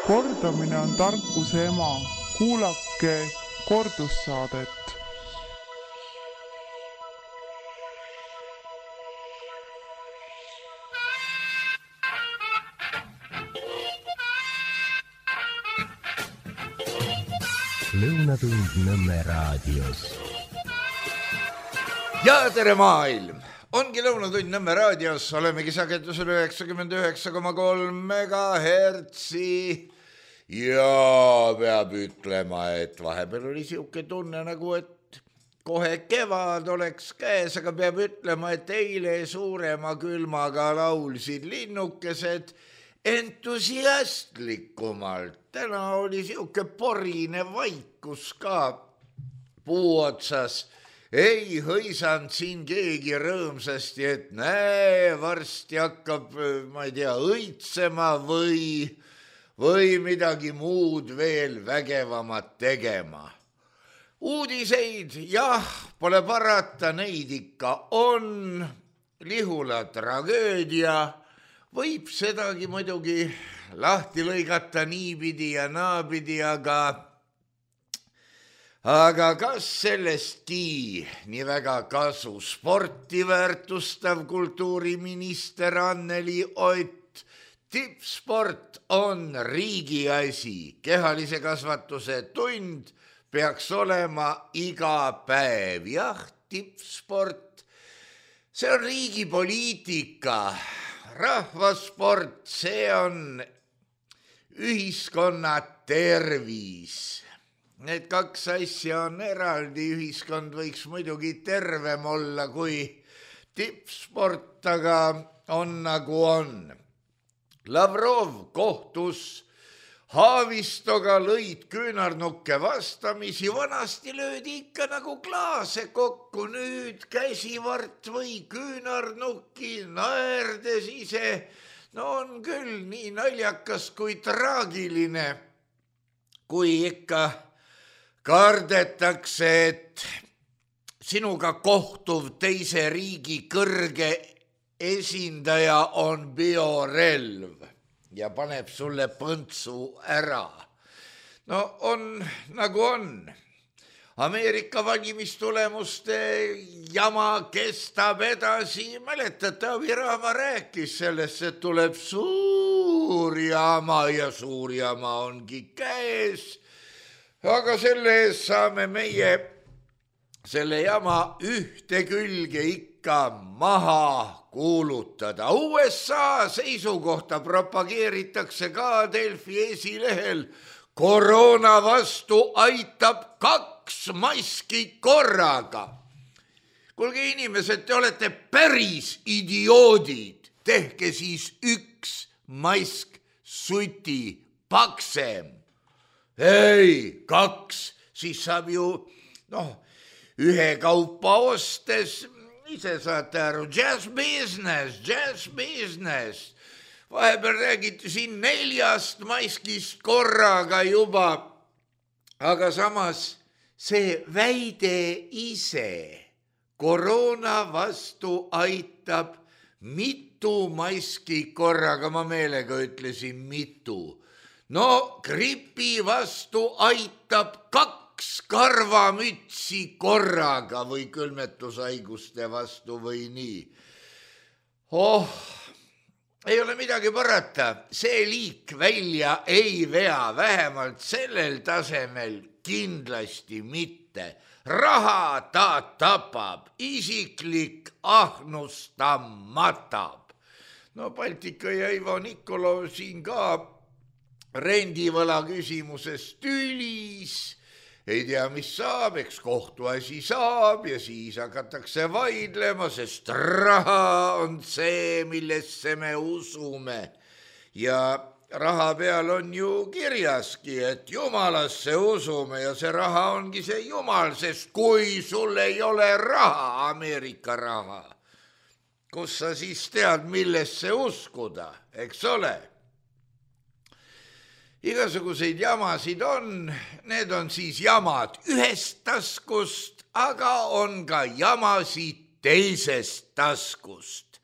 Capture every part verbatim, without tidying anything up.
Kordamine on tarkuse ema. Kuulake kordussaadet. Lõunatund Nõmme raadios. Ja tere maailm! Ongi Lõunatund Nõmme raadios, olemegi sagedusel üheksakümmend üheksa koma kolm megahertsi ja peab ütlema, et vahepeal oli siuke tunne nagu, et kohe kevad oleks käes, aga peab ütlema, et eile suurema külmaga laulsid linnukesed entusiastlikumalt. Täna oli siuke porine vaikus ka puu otsas. Ei hõisanud siin keegi rõõmsasti, et näe, varsti hakkab, ma ei tea, õitsema või, või midagi muud veel vägevamat tegema. Uudiseid, jah, pole parata, neid ikka on. Lihula tragöödia võib sedagi muidugi lahti lõigata niipidi ja naapidi, aga aga kas sellestki nii väga kasu? Sporti väärtustav kultuuriminister Anneli Ott. Tippsport on riigi asi. Kehalise kasvatuse tund peaks olema iga päev. Jah, tippsport, see on riigi poliitika. Rahvasport, see on ühiskonna tervis. Need kaks asja on eraldi, ühiskond võiks muidugi tervem olla kui tippsport, aga on nagu on. Lavrov kohtus Haavistoga, lõid küünarnukke vastamisi, vanasti löödi ikka nagu klaase kokku, nüüd käsivart või küünarnukki, naerdes ise. No on küll nii naljakas kui traagiline, kui ikka kardetakse, et sinuga kohtuv teise riigi kõrge esindaja on biorelv ja paneb sulle põntsu ära. No on nagu on. Ameerika valimistulemuste jama kestab edasi. Mäletate, Avirahva rääkis sellest, et tuleb suur jama ja suur jama ongi käes. Aga selle ees saame meie selle jama ühte külge ikka maha kuulutada. U S A seisukohta propageeritakse ka Delfi esilehel. Koroona vastu aitab kaks maski korraga. Kuulge inimesed, te olete päris idioodid. Tehke siis üks mask suti paksem. Ei, kaks, siis saab ju, noh, ühe kaupa ostes, ise saate aru, jazz business, jazz business. Vahepeal räägiti siin neljast maskist korraga juba, aga samas see väide ise koroona vastu aitab mitu maski korraga, ma meelega ütlesin mitu. No gripi vastu aitab kaks karvamütsi korraga või külmetushaiguste vastu või nii. Oh, ei ole midagi parata, see liik välja ei vea, vähemalt sellel tasemel kindlasti mitte. Raha ta tapab, isiklik ahnus ta matab. No Baltika ja Ivo Nikolov siin ka rendivõla küsimuses tülis, ei tea, mis saab, eks kohtuasi saab ja siis hakatakse vaidlema, sest raha on see, millesse me usume. Ja raha peal on ju kirjaski, et jumalasse usume ja see raha ongi see jumal, sest kui sul ei ole raha, Ameerika raha, kus sa siis tead, millesse uskuda, eks ole? Igasuguseid jamasid on, need on siis jamad ühest taskust, aga on ka jamasid teisest taskust.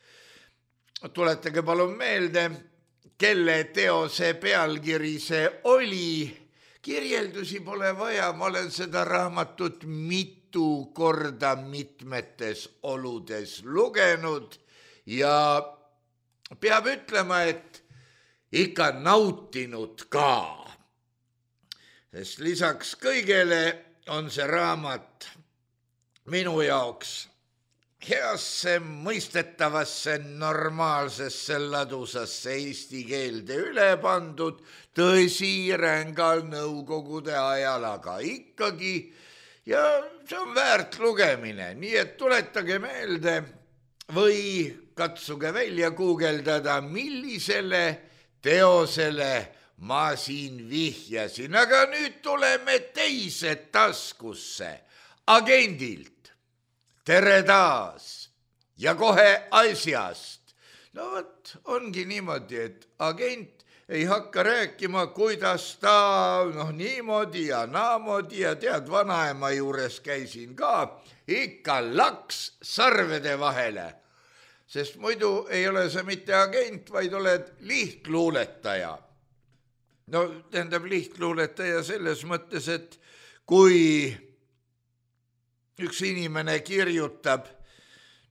Tuletage palun meelde, kelle teose pealkiri see oli. Kirjeldusi pole vaja, ma olen seda raamatut mitu korda mitmetes oludes lugenud ja peab ütlema, et ikka nautinud ka. Sest lisaks kõigele on see raamat minu jaoks heasse, mõistetavasse, normaalsesse, ladusasse eesti keelde üle pandud, tõsi rängal nõukogude ajal, aga ikkagi, ja see on väärt lugemine, nii et tuletage meelde või katsuge välja guugeldada, millisele teosele ma siin vihjasin, aga nüüd tuleme teise taskusse, agendilt. Tere taas ja kohe asjast. No võt, ongi niimoodi, et agent ei hakka rääkima, kuidas ta noh, niimoodi ja naamoodi ja tead, vanaema juures käisin ka, ikka laks sarvede vahele. Sest muidu ei ole see mitte agent, vaid oled lihtluuletaja. No tähendab lihtluuletaja selles mõttes, et kui üks inimene kirjutab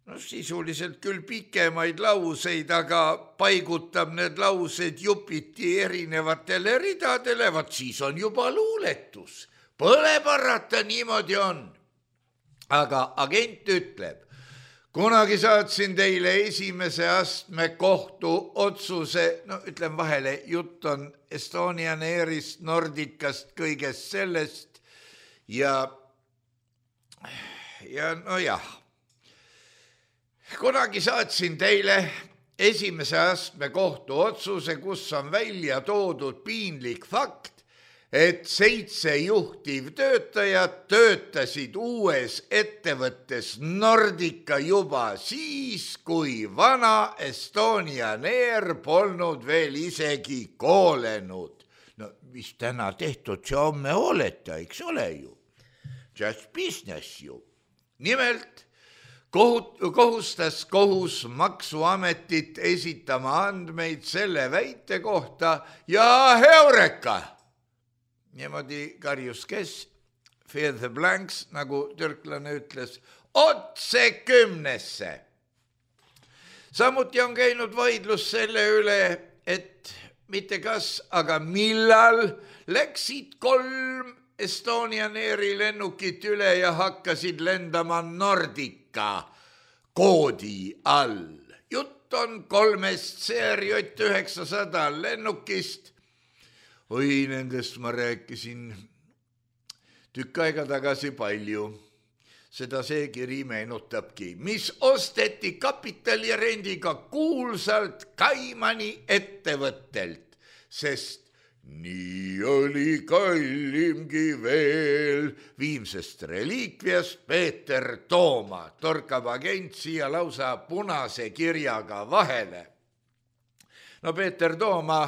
no sisuliselt küll pikemaid lauseid, aga paigutab need laused jupiti erinevatele ridadele, vaat siis on juba luuletus. Pole parata, niimoodi on. Aga agent ütleb, kunagi saatsin teile esimese astme kohtu otsuse, no ütlen vahele, jutt on Estonian Airist, Nordicast, kõigest sellest ja Ja no jah, kunagi saatsin teile esimese astme kohtu otsuse, kus on välja toodud piinlik fakt, et seitse juhtivtöötajat töötasid uues ettevõttes Nordica juba siis, kui vana Estonian Air polnud veel isegi koolenud. No mis täna tehtud, see homme oleta, eks ole ju. Just business ju. Nimelt kohustas kohus maksuametit esitama andmeid selle väite kohta ja heureka. Niimoodi karjus kes, fill the blanks, nagu türklane ütles, otse kümnesse. Samuti on käinud vaidlus selle üle, et mitte kas, aga millal läksid kolm Estonian Airi lennukit üle ja hakkasid lendama Nordica koodi all. Jutt on kolmest C R J üheksasada lennukist. Oi, nendest ma rääkisin tükk aega tagasi palju. Seda see kiri meenutabki, mis osteti kapitalirendiga kuulsalt Kaimani ettevõttelt, sest nii oli kallimgi veel. Viimsest reliikviast Peeter Tooma torkab agent siia lausa punase kirjaga vahele. No Peeter Tooma,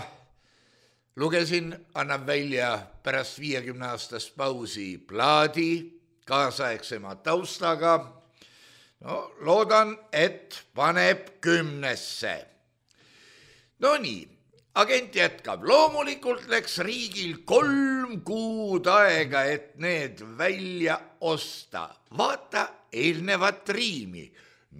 lugesin, annab välja pärast viiekümne aastast pausi plaadi kaasaegsema taustaga. No loodan, et paneb kümnesse. No nii. Agent jätkab, loomulikult läks riigil kolm kuud aega, et need välja osta. Vaata eelnevat riimi.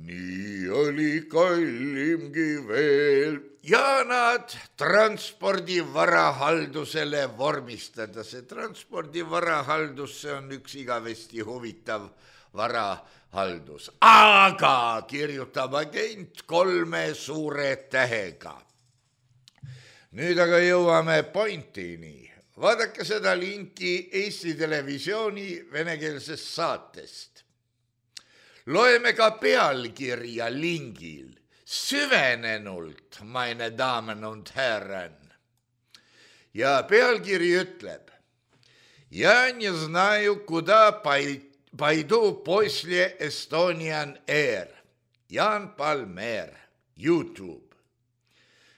Nii oli kallimgi veel. Ja nad transpordivarahaldusele vormistada. See transpordivarahaldus, see on üks igavesti huvitav varahaldus. Aga kirjutab agent kolme suure tähega. Nüüd aga jõuame pointini. Vaadake seda linki Eesti Televisiooni venekeelsest saatest. Loeme ka pealkirja lingil. Süvenenult, meine Damen und Herren. Ja pealkiri ütleb. Я не знаю, куда пойду после Estonian Air. Jaan Palmér, YouTube.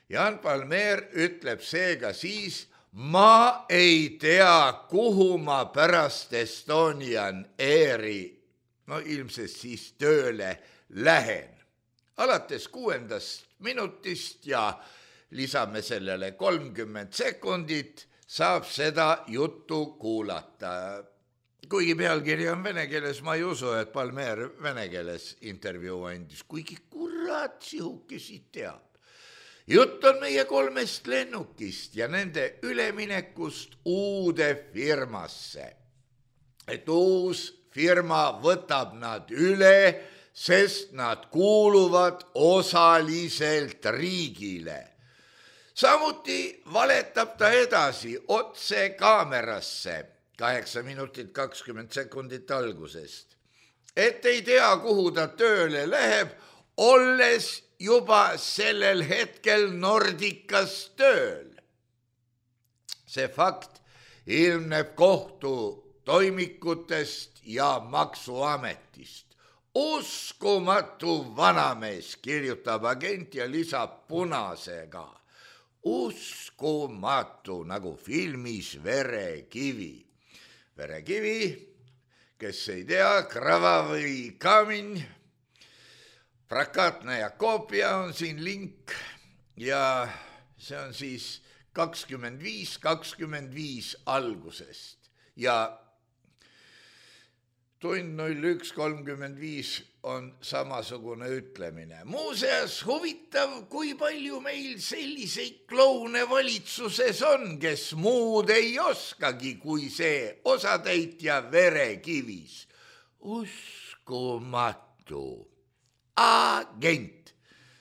Jaan Palmér ütleb seega siis, ma ei tea, kuhu ma pärast Estonian Airi, no ilmselt siis tööle lähen. Alates kuuendast minutist ja lisame sellele kolmkümmend sekundit, saab seda juttu kuulata. Kuigi pealkiri on vene keeles, ma ei usu, et Palmer vene keeles intervjuu andis, kuigi kurat sihukesid teab. Jutt on meie kolmest lennukist ja nende üleminekust uude firmasse. Et uus firma võtab nad üle, sest nad kuuluvad osaliselt riigile. Samuti valetab ta edasi otse kaamerasse, kaheksa minutit kakskümmend sekundit algusest. Et ei tea, kuhu ta tööle läheb, olles juba sellel hetkel Nordicas tööl. See fakt ilmneb kohtu toimikutest ja maksuametist. Uskumatu vanamees, kirjutab agent ja lisab punasega. Uskumatu, nagu filmis Verekivi. Verekivi, kes ei tea, Kravavi kamin, prakaatne ja koopia on siin link ja see on siis kakskümmend viis kakskümmend viis algusest ja tund null üks kolmkümmend viis on samasugune ütlemine. Muuseas huvitav, kui palju meil selliseid kloune valitsuses on, kes muud ei oskagi, kui see osatäitja Verekivis. Uskumatu. Agent.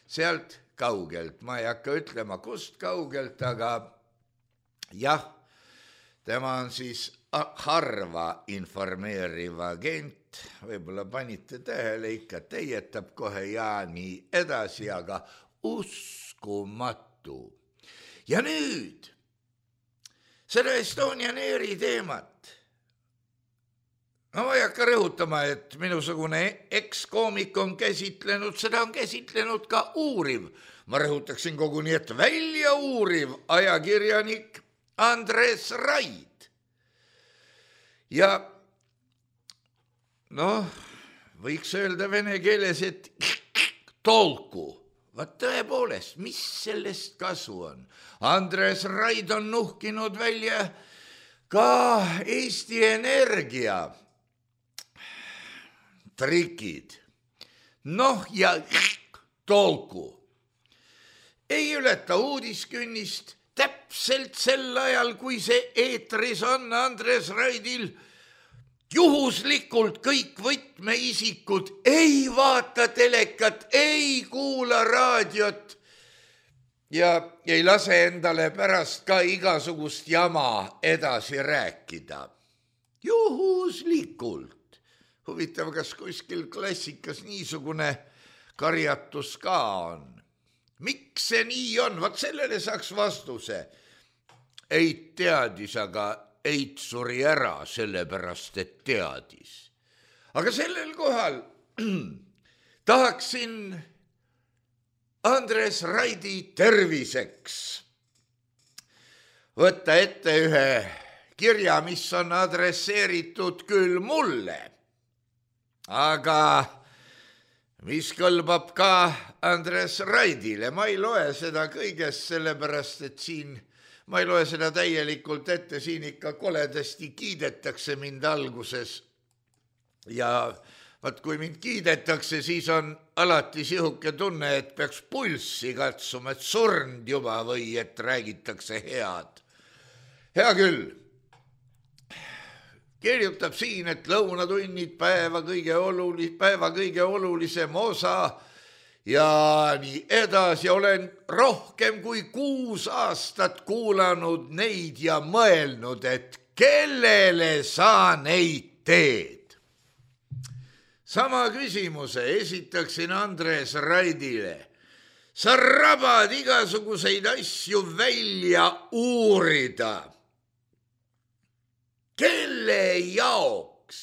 Sealt kaugelt. Ma ei hakka ütlema, kust kaugelt, aga jah, tema on siis harva informeeriv agent, võib-olla panite tähele, ikka teietab kohe ja nii edasi, aga uskumatu. Ja nüüd seda Estonian Airi teemat. No ma ei hakka rõhutama, et minusugune ekskoomik on käsitlenud, seda on käsitlenud ka uuriv. Ma rõhutaksin koguni, et välja uuriv ajakirjanik Andres Raid. Ja noh, võiks öelda vene keeles, et tolku. Vaat tõepoolest, mis sellest kasu on? Andres Raid on nuhkinud välja ka Eesti Energia trikid. Noh ja tolku. Ei ületa uudiskünnist. Täpselt sel ajal, kui see eetris on Andres Raidil, juhuslikult kõik võtmeisikud ei vaata telekat, ei kuula raadiot ja ei lase endale pärast ka igasugust jama edasi rääkida. Juhuslikult. Huvitav, kas kuskil klassikas niisugune karjatus ka on? Miks see nii on? Vaat sellele saaks vastuse. Eit teadis, aga Eit suri ära, sellepärast, et teadis. Aga sellel kohal tahaksin Andres Raidi terviseks võtta ette ühe kirja, mis on adresseeritud küll mulle, aga mis kõlbab ka Andres Raidile. Ma ei loe seda kõigest sellepärast, et siin, ma ei loe seda täielikult ette, siin ikka koledasti kiidetakse mind alguses. Ja vaat kui mind kiidetakse, siis on alati sihuke tunne, et peaks pulssi katsuma, et surnud juba või et räägitakse head. Hea küll. Kirjutab siin, et lõunatunnid päeva kõige, olulis, päeva kõige olulisem osa ja nii edasi. Olen rohkem kui kuus aastat kuulanud neid ja mõelnud, et kellele sa neid teed. Sama küsimuse esitaksin Andres Raidile. Sa rabad igasuguseid asju välja uurida. Kelle jaoks?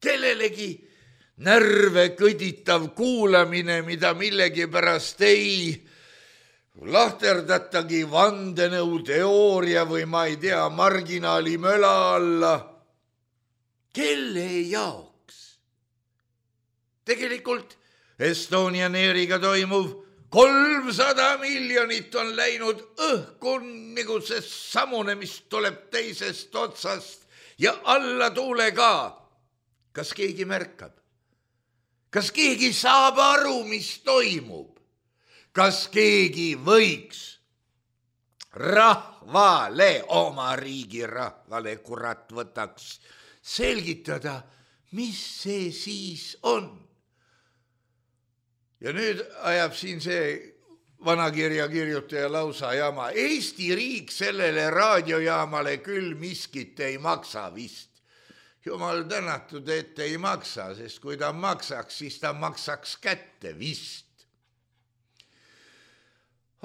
Kellelegi närve kõditav kuulamine, mida millegi pärast ei lahterdatagi vandenõu teooria või ma ei tea, marginaali möla alla. Kelle jaoks? Tegelikult Estonian Airiga toimuv kolmsada miljonit on läinud õhku nagu see samune, mis tuleb teisest otsast ja alla tuule ka. Kas keegi märkab? Kas keegi saab aru, mis toimub? Kas keegi võiks rahvale, oma riigi rahvale, kurat võtaks selgitada, mis see siis on? Ja nüüd ajab siin see vanakirja kirjutaja lausa jama. Eesti riik sellele raadiojaamale küll miskit ei maksa vist. Jumal tänatud, et ei maksa, sest kui ta maksaks, siis ta maksaks kätte vist.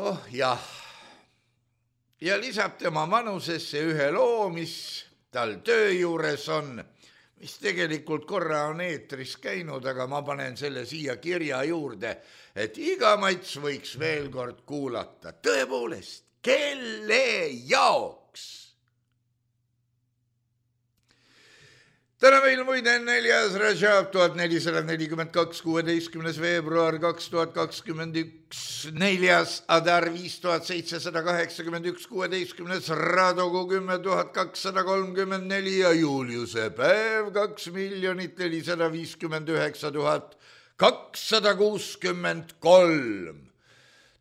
Oh jah. Ja lisab tema manusesse ühe loo, mis tal töö juures on, mis tegelikult korra on eetris käinud, aga ma panen selle siia kirja juurde, et iga mats võiks veel kord kuulata. Tõepoolest, kelle jaoks? Täna meil muide neljas Rajab tuhat nelisada nelikümmend kaks, kuueteistkümnes veebruar kaks tuhat kakskümmend üks, neljas Adar viis tuhat seitsesada kaheksakümmend üks, kuueteistkümnes Radogu kümme tuhat kakssada kolmkümmend neli ja Juliuse päev kaks miljonit nelisada viiskümmend üheksa tuhat kakssada kuuskümmend kolm.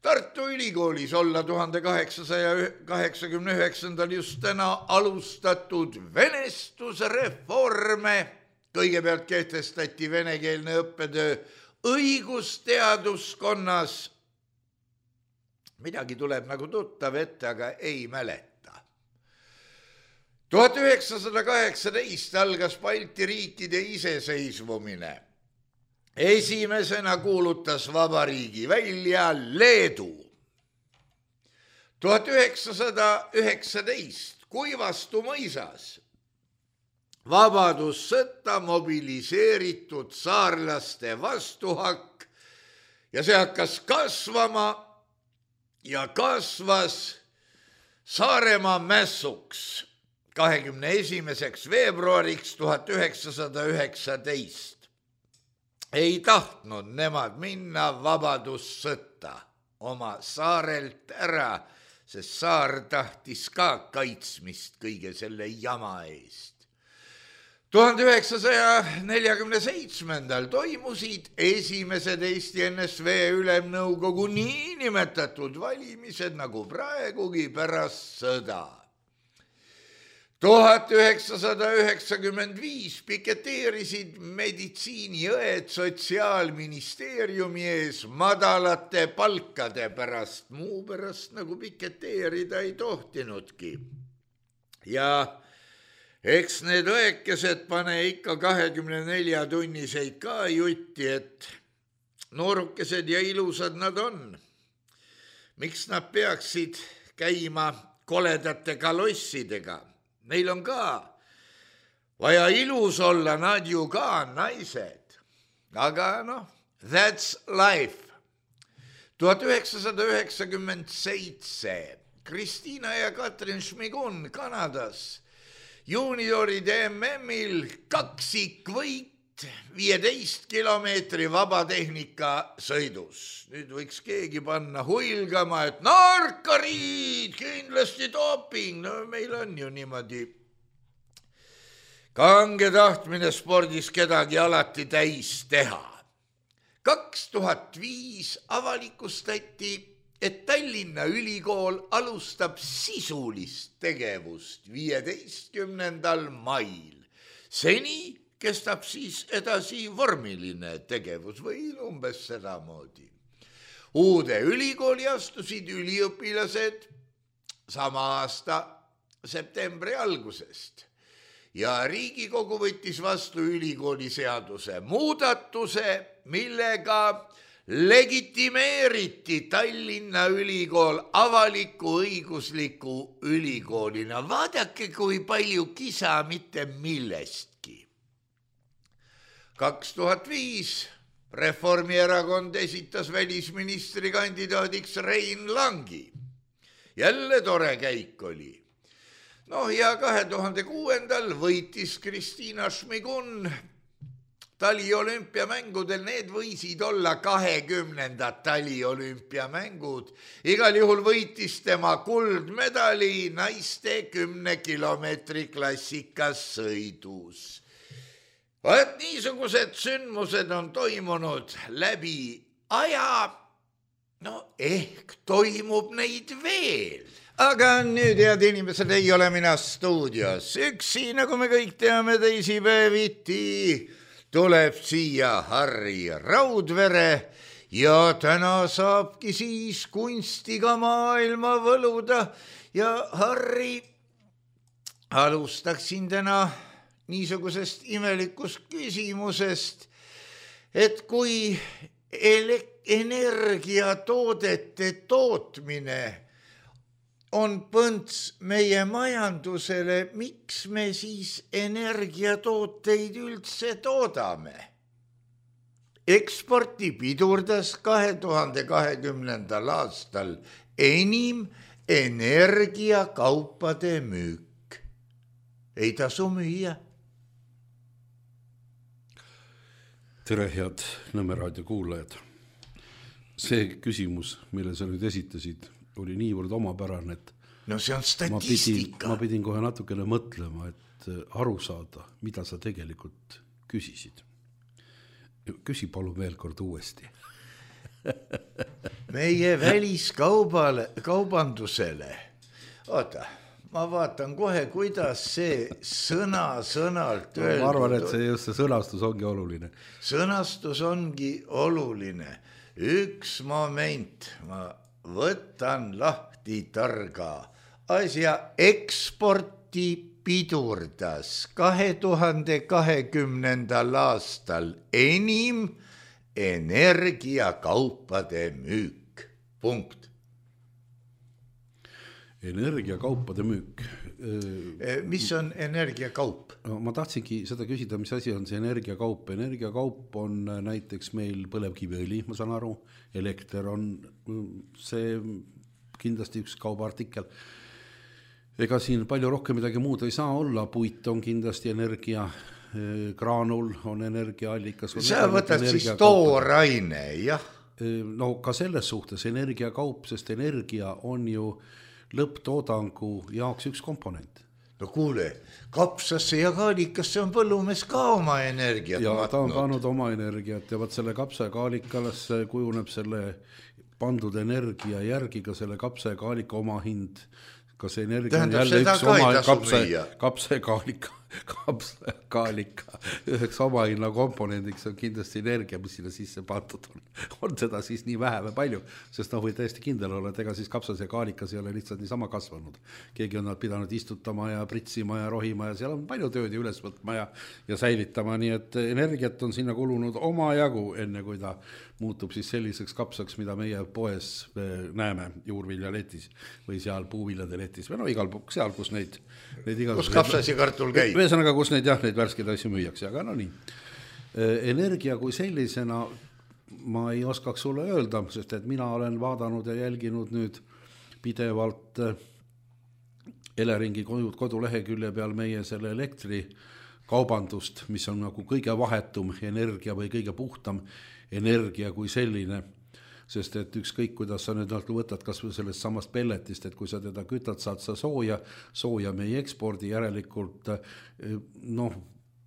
Tartu Ülikoolis olla tuhande kaheksasaja kaheksakümne üheksandal just täna alustatud venestusreforme. Kõigepealt kehtestati venekeelne õppetöö õigusteaduskonnas. Midagi tuleb nagu tuttav ette, aga ei mäleta. tuhat üheksasada kaheksateist algas Balti riikide iseseisvumine. Esimesena kuulutas vabariigi välja Leedu. tuhat üheksasada üheksateist Kuivastu mõisas vabadussõtta mobiliseeritud saarlaste vastuhakk ja see hakkas kasvama ja kasvas Saaremaa mässuks kahekümne esimeseks veebruariks tuhat üheksasada üheksateist. Ei tahtnud nemad minna vabadussõtta oma saarelt ära, sest saar tahtis ka kaitsmist kõige selle jama eest. tuhande üheksasaja neljakümne seitsmendal toimusid esimesed Eesti N S V ülemnõukogu niinimetatud valimised nagu praegugi pärast sõda. tuhat üheksasada üheksakümmend viis piketeerisid meditsiiniõed Sotsiaalministeeriumi ees madalate palkade pärast, muu pärast nagu piketeerida ei tohtinudki. Ja eks need õekesed pane ikka kahekümne nelja tunniseid ka jutti, et noorukesed ja ilusad nad on. Miks nad peaksid käima koledate kalossidega? Neil on ka vaja ilus olla, nad ju ka naised. Aga noh, that's life. tuhat üheksasada üheksakümmend seitse Kristiina ja Katrin Šmigun Kanadas juunioride M M-il kaksikvõit viieteist kilomeetri vabatehnika sõidus. Nüüd võiks keegi panna huilgama, et narkariid, kindlasti doping. No meil on ju niimoodi kange tahtmine spordis kedagi alati täis teha. kaks tuhat viis avalikustati, et Tallinna Ülikool alustab sisulist tegevust viieteistkümnendal mail. Seni kestab siis edasi vormiline tegevus või umbes sedamoodi. Uude ülikooli astusid üliõpilased sama aasta septembri algusest ja Riigikogu võttis vastu ülikooli seaduse muudatuse, millega legitimeeriti Tallinna Ülikool avaliku õigusliku ülikoolina. Vaadake, kui palju kisa mitte millestki. kaks tuhat viis Reformierakond esitas välisministri kandidaadiks Rein Langi. Jälle tore käik oli. No ja kahe tuhande kuuendal võitis Kristiina Šmigun taliolümpiamängudel, need võisid olla kahekümnendad taliolümpiamängud. Igal juhul võitis tema kuldmedali naiste kümne kilomeetri klassikas sõidus. Vaat niisugused sündmused on toimunud läbi aja, no ehk toimub neid veel. Aga nüüd, head inimesed, ei ole mina stuudios. Üksi, nagu me kõik teame, teisipäeviti tuleb siia Harri Raudvere ja täna saabki siis kunstiga maailma võluda. Ja Harri, alustaksin täna niisugusest imelikust küsimusest, et kui energiatoodete tootmine on põnts meie majandusele, miks me siis energiatooteid üldse toodame? Eksporti pidurdas kahe tuhande kahekümnendal aastal enim energiakaupade müük. Ei tasu müüa. Tere, head Nõmme raadio kuulajad. See küsimus, mille sa nüüd esitasid, oli niivõrd omapärane, et no see on statistika. Ma pidin, ma pidin kohe natukene mõtlema, et aru saada, mida sa tegelikult küsisid. Küsi palun veel kord uuesti. Meie väliskaubale, kaubandusele. Oota, ma vaatan kohe, kuidas see sõna sõnalt öeldud. Ma arvan, et see just see sõnastus ongi oluline. Sõnastus ongi oluline. Üks moment, ma võtan lahti targa asja. Eksporti pidurdas kahe tuhande kahekümnendal aastal enim energiakaupade müük. Punkt. Energiakaupade müük. Mis on energiakaup? No, ma tahtsingi seda küsida, mis asi on see energiakaup. Energiakaup on näiteks meil põlevkiviõli, ma saan aru. Elekter on see kindlasti üks kaubaartikel. Ega siin palju rohkem midagi muud ei saa olla. Puit on kindlasti energia, graanul on energiaallikas. Sa võtad siis tooraine, jah? No ka selles suhtes energiakaup, sest energia on ju lõpptoodangu jaoks üks komponent. No kuule, kapsasse ja kaalikasse on põllumees ka oma energiat ja matnud. Ta on pannud oma energiat ja võt selle kapsa ja kaalikalasse kujuneb selle pandud energia järgi ka selle kapsa ja kaalika oma hind. Kas energia tähendab, on jälle üks oma kapsa, kapsa ja kaalika, kapsa ja kaalika üheks oma hinna komponendiks on kindlasti energia, mis sinna sisse pandud on. On seda siis nii vähe või palju, sest noh, või täiesti kindel olla, et ega siis kapsas ja kaalikas ei ole lihtsalt niisama kasvanud. Keegi on nad pidanud istutama ja pritsima ja rohima ja seal on palju tööd üles võtma ja, ja säilitama, nii et energiat on sinna kulunud oma jagu, enne kui ta muutub siis selliseks kapsaks, mida meie poes näeme juurviljaletis või seal puuviljade letis või no igal pool, seal, kus neid, neid kus kapsas ja kartul käib. Ühesõnaga, kus neid jah, neid värskeid asju müüakse, aga no nii. Energia kui sellisena ma ei oskaks sulle öelda, sest et mina olen vaadanud ja jälginud nüüd pidevalt Eleringi kodulehekülje peal meie selle elektrikaubandust, mis on nagu kõige vahetum energia või kõige puhtam energia kui selline, sest et ükskõik, kuidas sa nüüd võtad kas või sellest samast pelletist, et kui sa teda kütad, saad sa sooja, sooja me ei ekspordi, järelikult noh,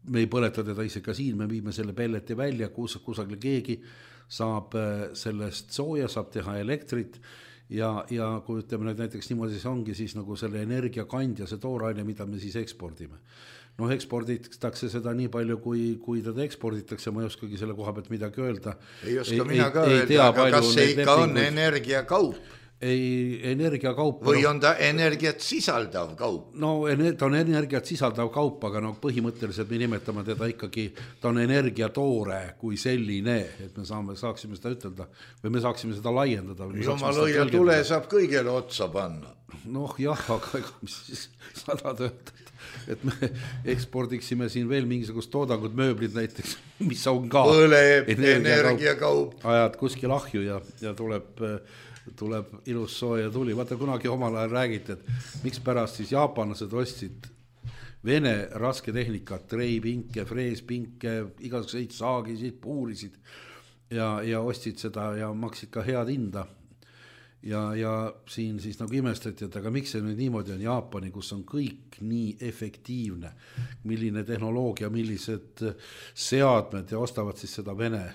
me ei põleta teda ise ka siin, me viime selle pelleti välja, kus, kusagil keegi saab sellest sooja, saab teha elektrit ja, ja kui ütleme nüüd näiteks niimoodi see ongi siis nagu selle energiakandja, see tooraine, mida me siis ekspordime. Noh, eksporditakse seda nii palju, kui, kui teda eksporditakse, ma ei oskagi selle koha pealt midagi öelda. Ei oska ei, mina ka ei, öelda, ei tea, aga kas see ikka on energiakaup? Ei, energiakaup. Või on ta energiat sisaldav kaup? No, ta on energiat sisaldav kaup, aga no põhimõtteliselt me nimetame teda ikkagi, ta on energiatoore kui selline, et me saame, saaksime seda ütelda, või me saaksime seda laiendada. Jumal õia tule saab kõigele otsa panna. Noh, jah, aga mis siis sada töötada, et me ekspordiksime siin veel mingisugust toodangut, mööblid näiteks, mis on ka põleb energiakaup. Ajad kuskil ahju ja, ja tuleb... tuleb ilus sooja tuli. Vaata, kunagi omal ajal räägiti, et miks pärast siis jaapanlased ostsid Vene rasketehnikat, treipinke, freespinke, igasuguseid saagisid, puurisid ja, ja ostsid seda ja maksid ka head hinda. Ja, ja siin siis nagu imestati, et aga miks see nüüd niimoodi on Jaapani, kus on kõik nii efektiivne, milline tehnoloogia, millised seadmed ja ostavad siis seda Vene,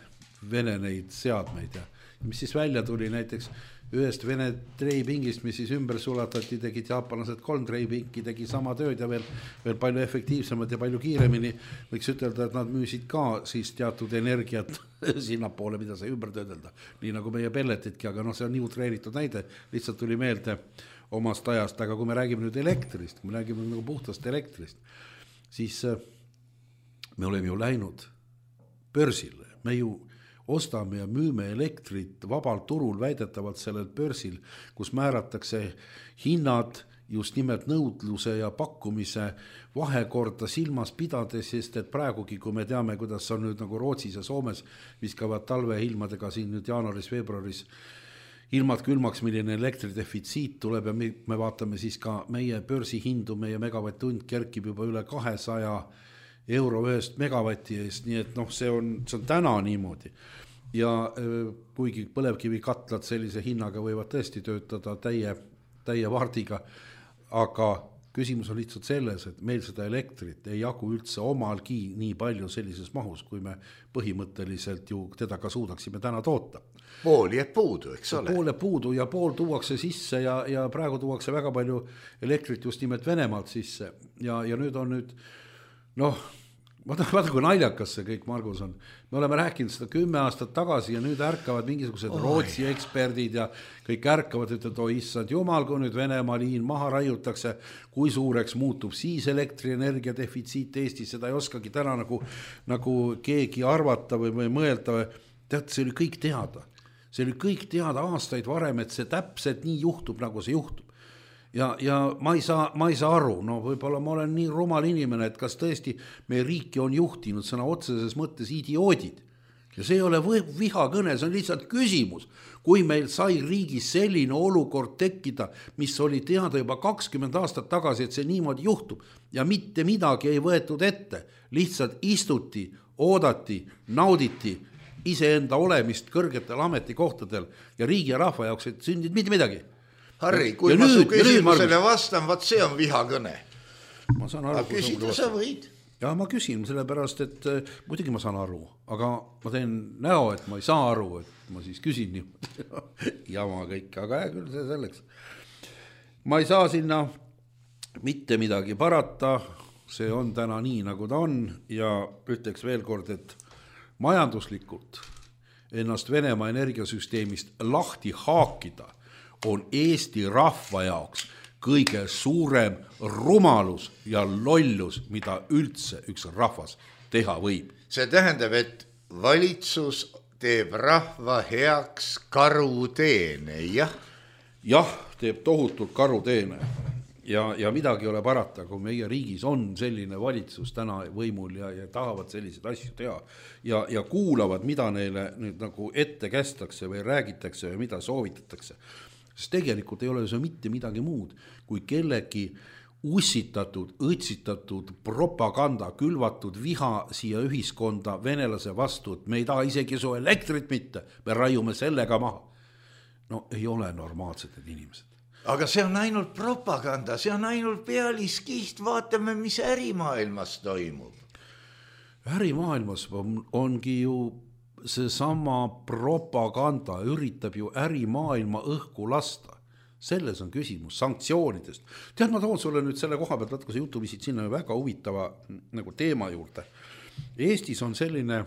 Vene neid seadmeid ja mis siis välja tuli näiteks ühest Vene treipingist, mis siis ümber sulatati, tegid jaapanlased kolm treipinki, tegi sama tööd ja veel, veel palju efektiivsemad ja palju kiiremini. Võiks ütelda, et nad müüsid ka siis teatud energiat sinnapoole, mida sai ümber töödelda. Nii nagu meie pelletidki, aga no see on nii utreeritud näide, lihtsalt tuli meelde omast ajast, aga kui me räägime nüüd elektrist, kui me räägime nagu puhtast elektrist, siis me oleme ju läinud börsile, me ju ostame ja müüme elektrit vabal turul väidetavalt sellel börsil, kus määratakse hinnad just nimelt nõudluse ja pakkumise vahekorda silmas pidades, sest et praegugi, kui me teame, kuidas on nüüd nagu Rootsis ja Soomes viskavad talveilmadega siin nüüd jaanuaris-veebruaris ilmad külmaks, milline elektridefitsiit tuleb ja me, me vaatame siis ka meie börsihindu, meie megavatt-tund kerkib juba üle kahesaja euro ühest megavati eest, nii et noh, see on, see on täna niimoodi. Ja kuigi põlevkivi katlad sellise hinnaga võivad tõesti töötada täie, täie vardiga, aga küsimus on lihtsalt selles, et meil seda elektrit ei jagu üldse omalgi nii palju sellises mahus, kui me põhimõtteliselt ju teda ka suudaksime täna toota. Pool jääb puudu, eks ole? Pool jääb puudu ja pool tuuakse sisse ja, ja praegu tuuakse väga palju elektrit just nimelt Venemaalt sisse ja, ja nüüd on nüüd, noh, vaata, vaata kui naljakas see kõik, Margus, on. Me oleme rääkinud seda kümme aastat tagasi ja nüüd ärkavad mingisugused oh, Rootsi eksperdid ja kõik ärkavad, et oi issand jumal, kui nüüd Venemaa liin maha raiutakse, kui suureks muutub siis elektrienergia defitsiit Eestis, seda ei oskagi täna nagu, nagu keegi arvata või, või mõelda. Tead, see oli kõik teada. See oli kõik teada aastaid varem, et see täpselt nii juhtub, nagu see juhtub. Ja, ja ma, ei saa, ma ei saa aru, no võib-olla ma olen nii rumal inimene, et kas tõesti meie riiki on juhtinud sõna otseses mõttes idioodid. Ja see ei ole vihakõne, see on lihtsalt küsimus. Kui meil sai riigis selline olukord tekkida, mis oli teada juba kakskümmend aastat tagasi, et see niimoodi juhtub ja mitte midagi ei võetud ette, lihtsalt istuti, oodati, nauditi iseenda olemist kõrgetel ametikohtadel ja riigi ja rahva jaoks, et sündid mitte midagi. Harri, kui ja ma nüüd, su küsimusele vastan, vaat see on vihakõne. Ma saan aru, aga küsida sa võid? Ja ma küsin sellepärast, et äh, muidugi ma saan aru, aga ma teen näo, et ma ei saa aru, et ma siis küsin jama kõik, aga jah, küll see selleks. Ma ei saa sinna mitte midagi parata, see on täna nii, nagu ta on ja ütleks veel kord, et majanduslikult ennast Venemaa energiasüsteemist lahti haakida on Eesti rahva jaoks kõige suurem rumalus ja lollus, mida üldse üks rahvas teha võib. See tähendab, et valitsus teeb rahva heaks karuteene, jah? Jah, teeb tohutult karuteene ja, ja midagi ei ole parata, kui meie riigis on selline valitsus täna võimul ja, ja tahavad selliseid asju teha ja, ja kuulavad, mida neile nüüd nagu ette kästakse või räägitakse või mida soovitatakse. Sest tegelikult ei ole see mitte midagi muud, kui kellegi ussitatud, õtsitatud propaganda, külvatud viha siia ühiskonda venelase vastu, et me ei taha isegi su elektrit mitte, me raiume sellega maha. No ei ole normaalsed need inimesed. Aga see on ainult propaganda, see on ainult pealiskiht, vaatame, mis ärimaailmas toimub. Ärimaailmas on, ongi ju see sama propaganda üritab ju ärimaailma õhku lasta. Selles on küsimus sanktsioonidest. Tead, ma toon sulle nüüd selle koha pealt, kui sa jutu visid sinna väga huvitava nagu teema juurde. Eestis on selline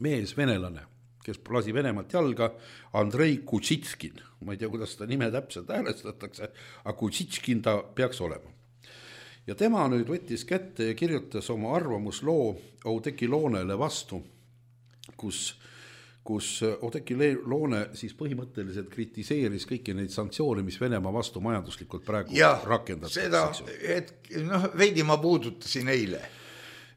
mees venelane, kes lasi Venemaalt jalga, Andrei Kutsitskin. Ma ei tea, kuidas seda nime täpselt häälestatakse, aga Kutsitskin ta peaks olema. Ja tema nüüd võttis kätte ja kirjutas oma arvamusloo Oudekki Loonele vastu, kus, kus Oudekki Loone siis põhimõtteliselt kritiseeris kõiki neid sanktsioone, mis Venemaa vastu majanduslikult praegu ja, rakendatakse. Seda, et noh, veidi ma puudutasin eile,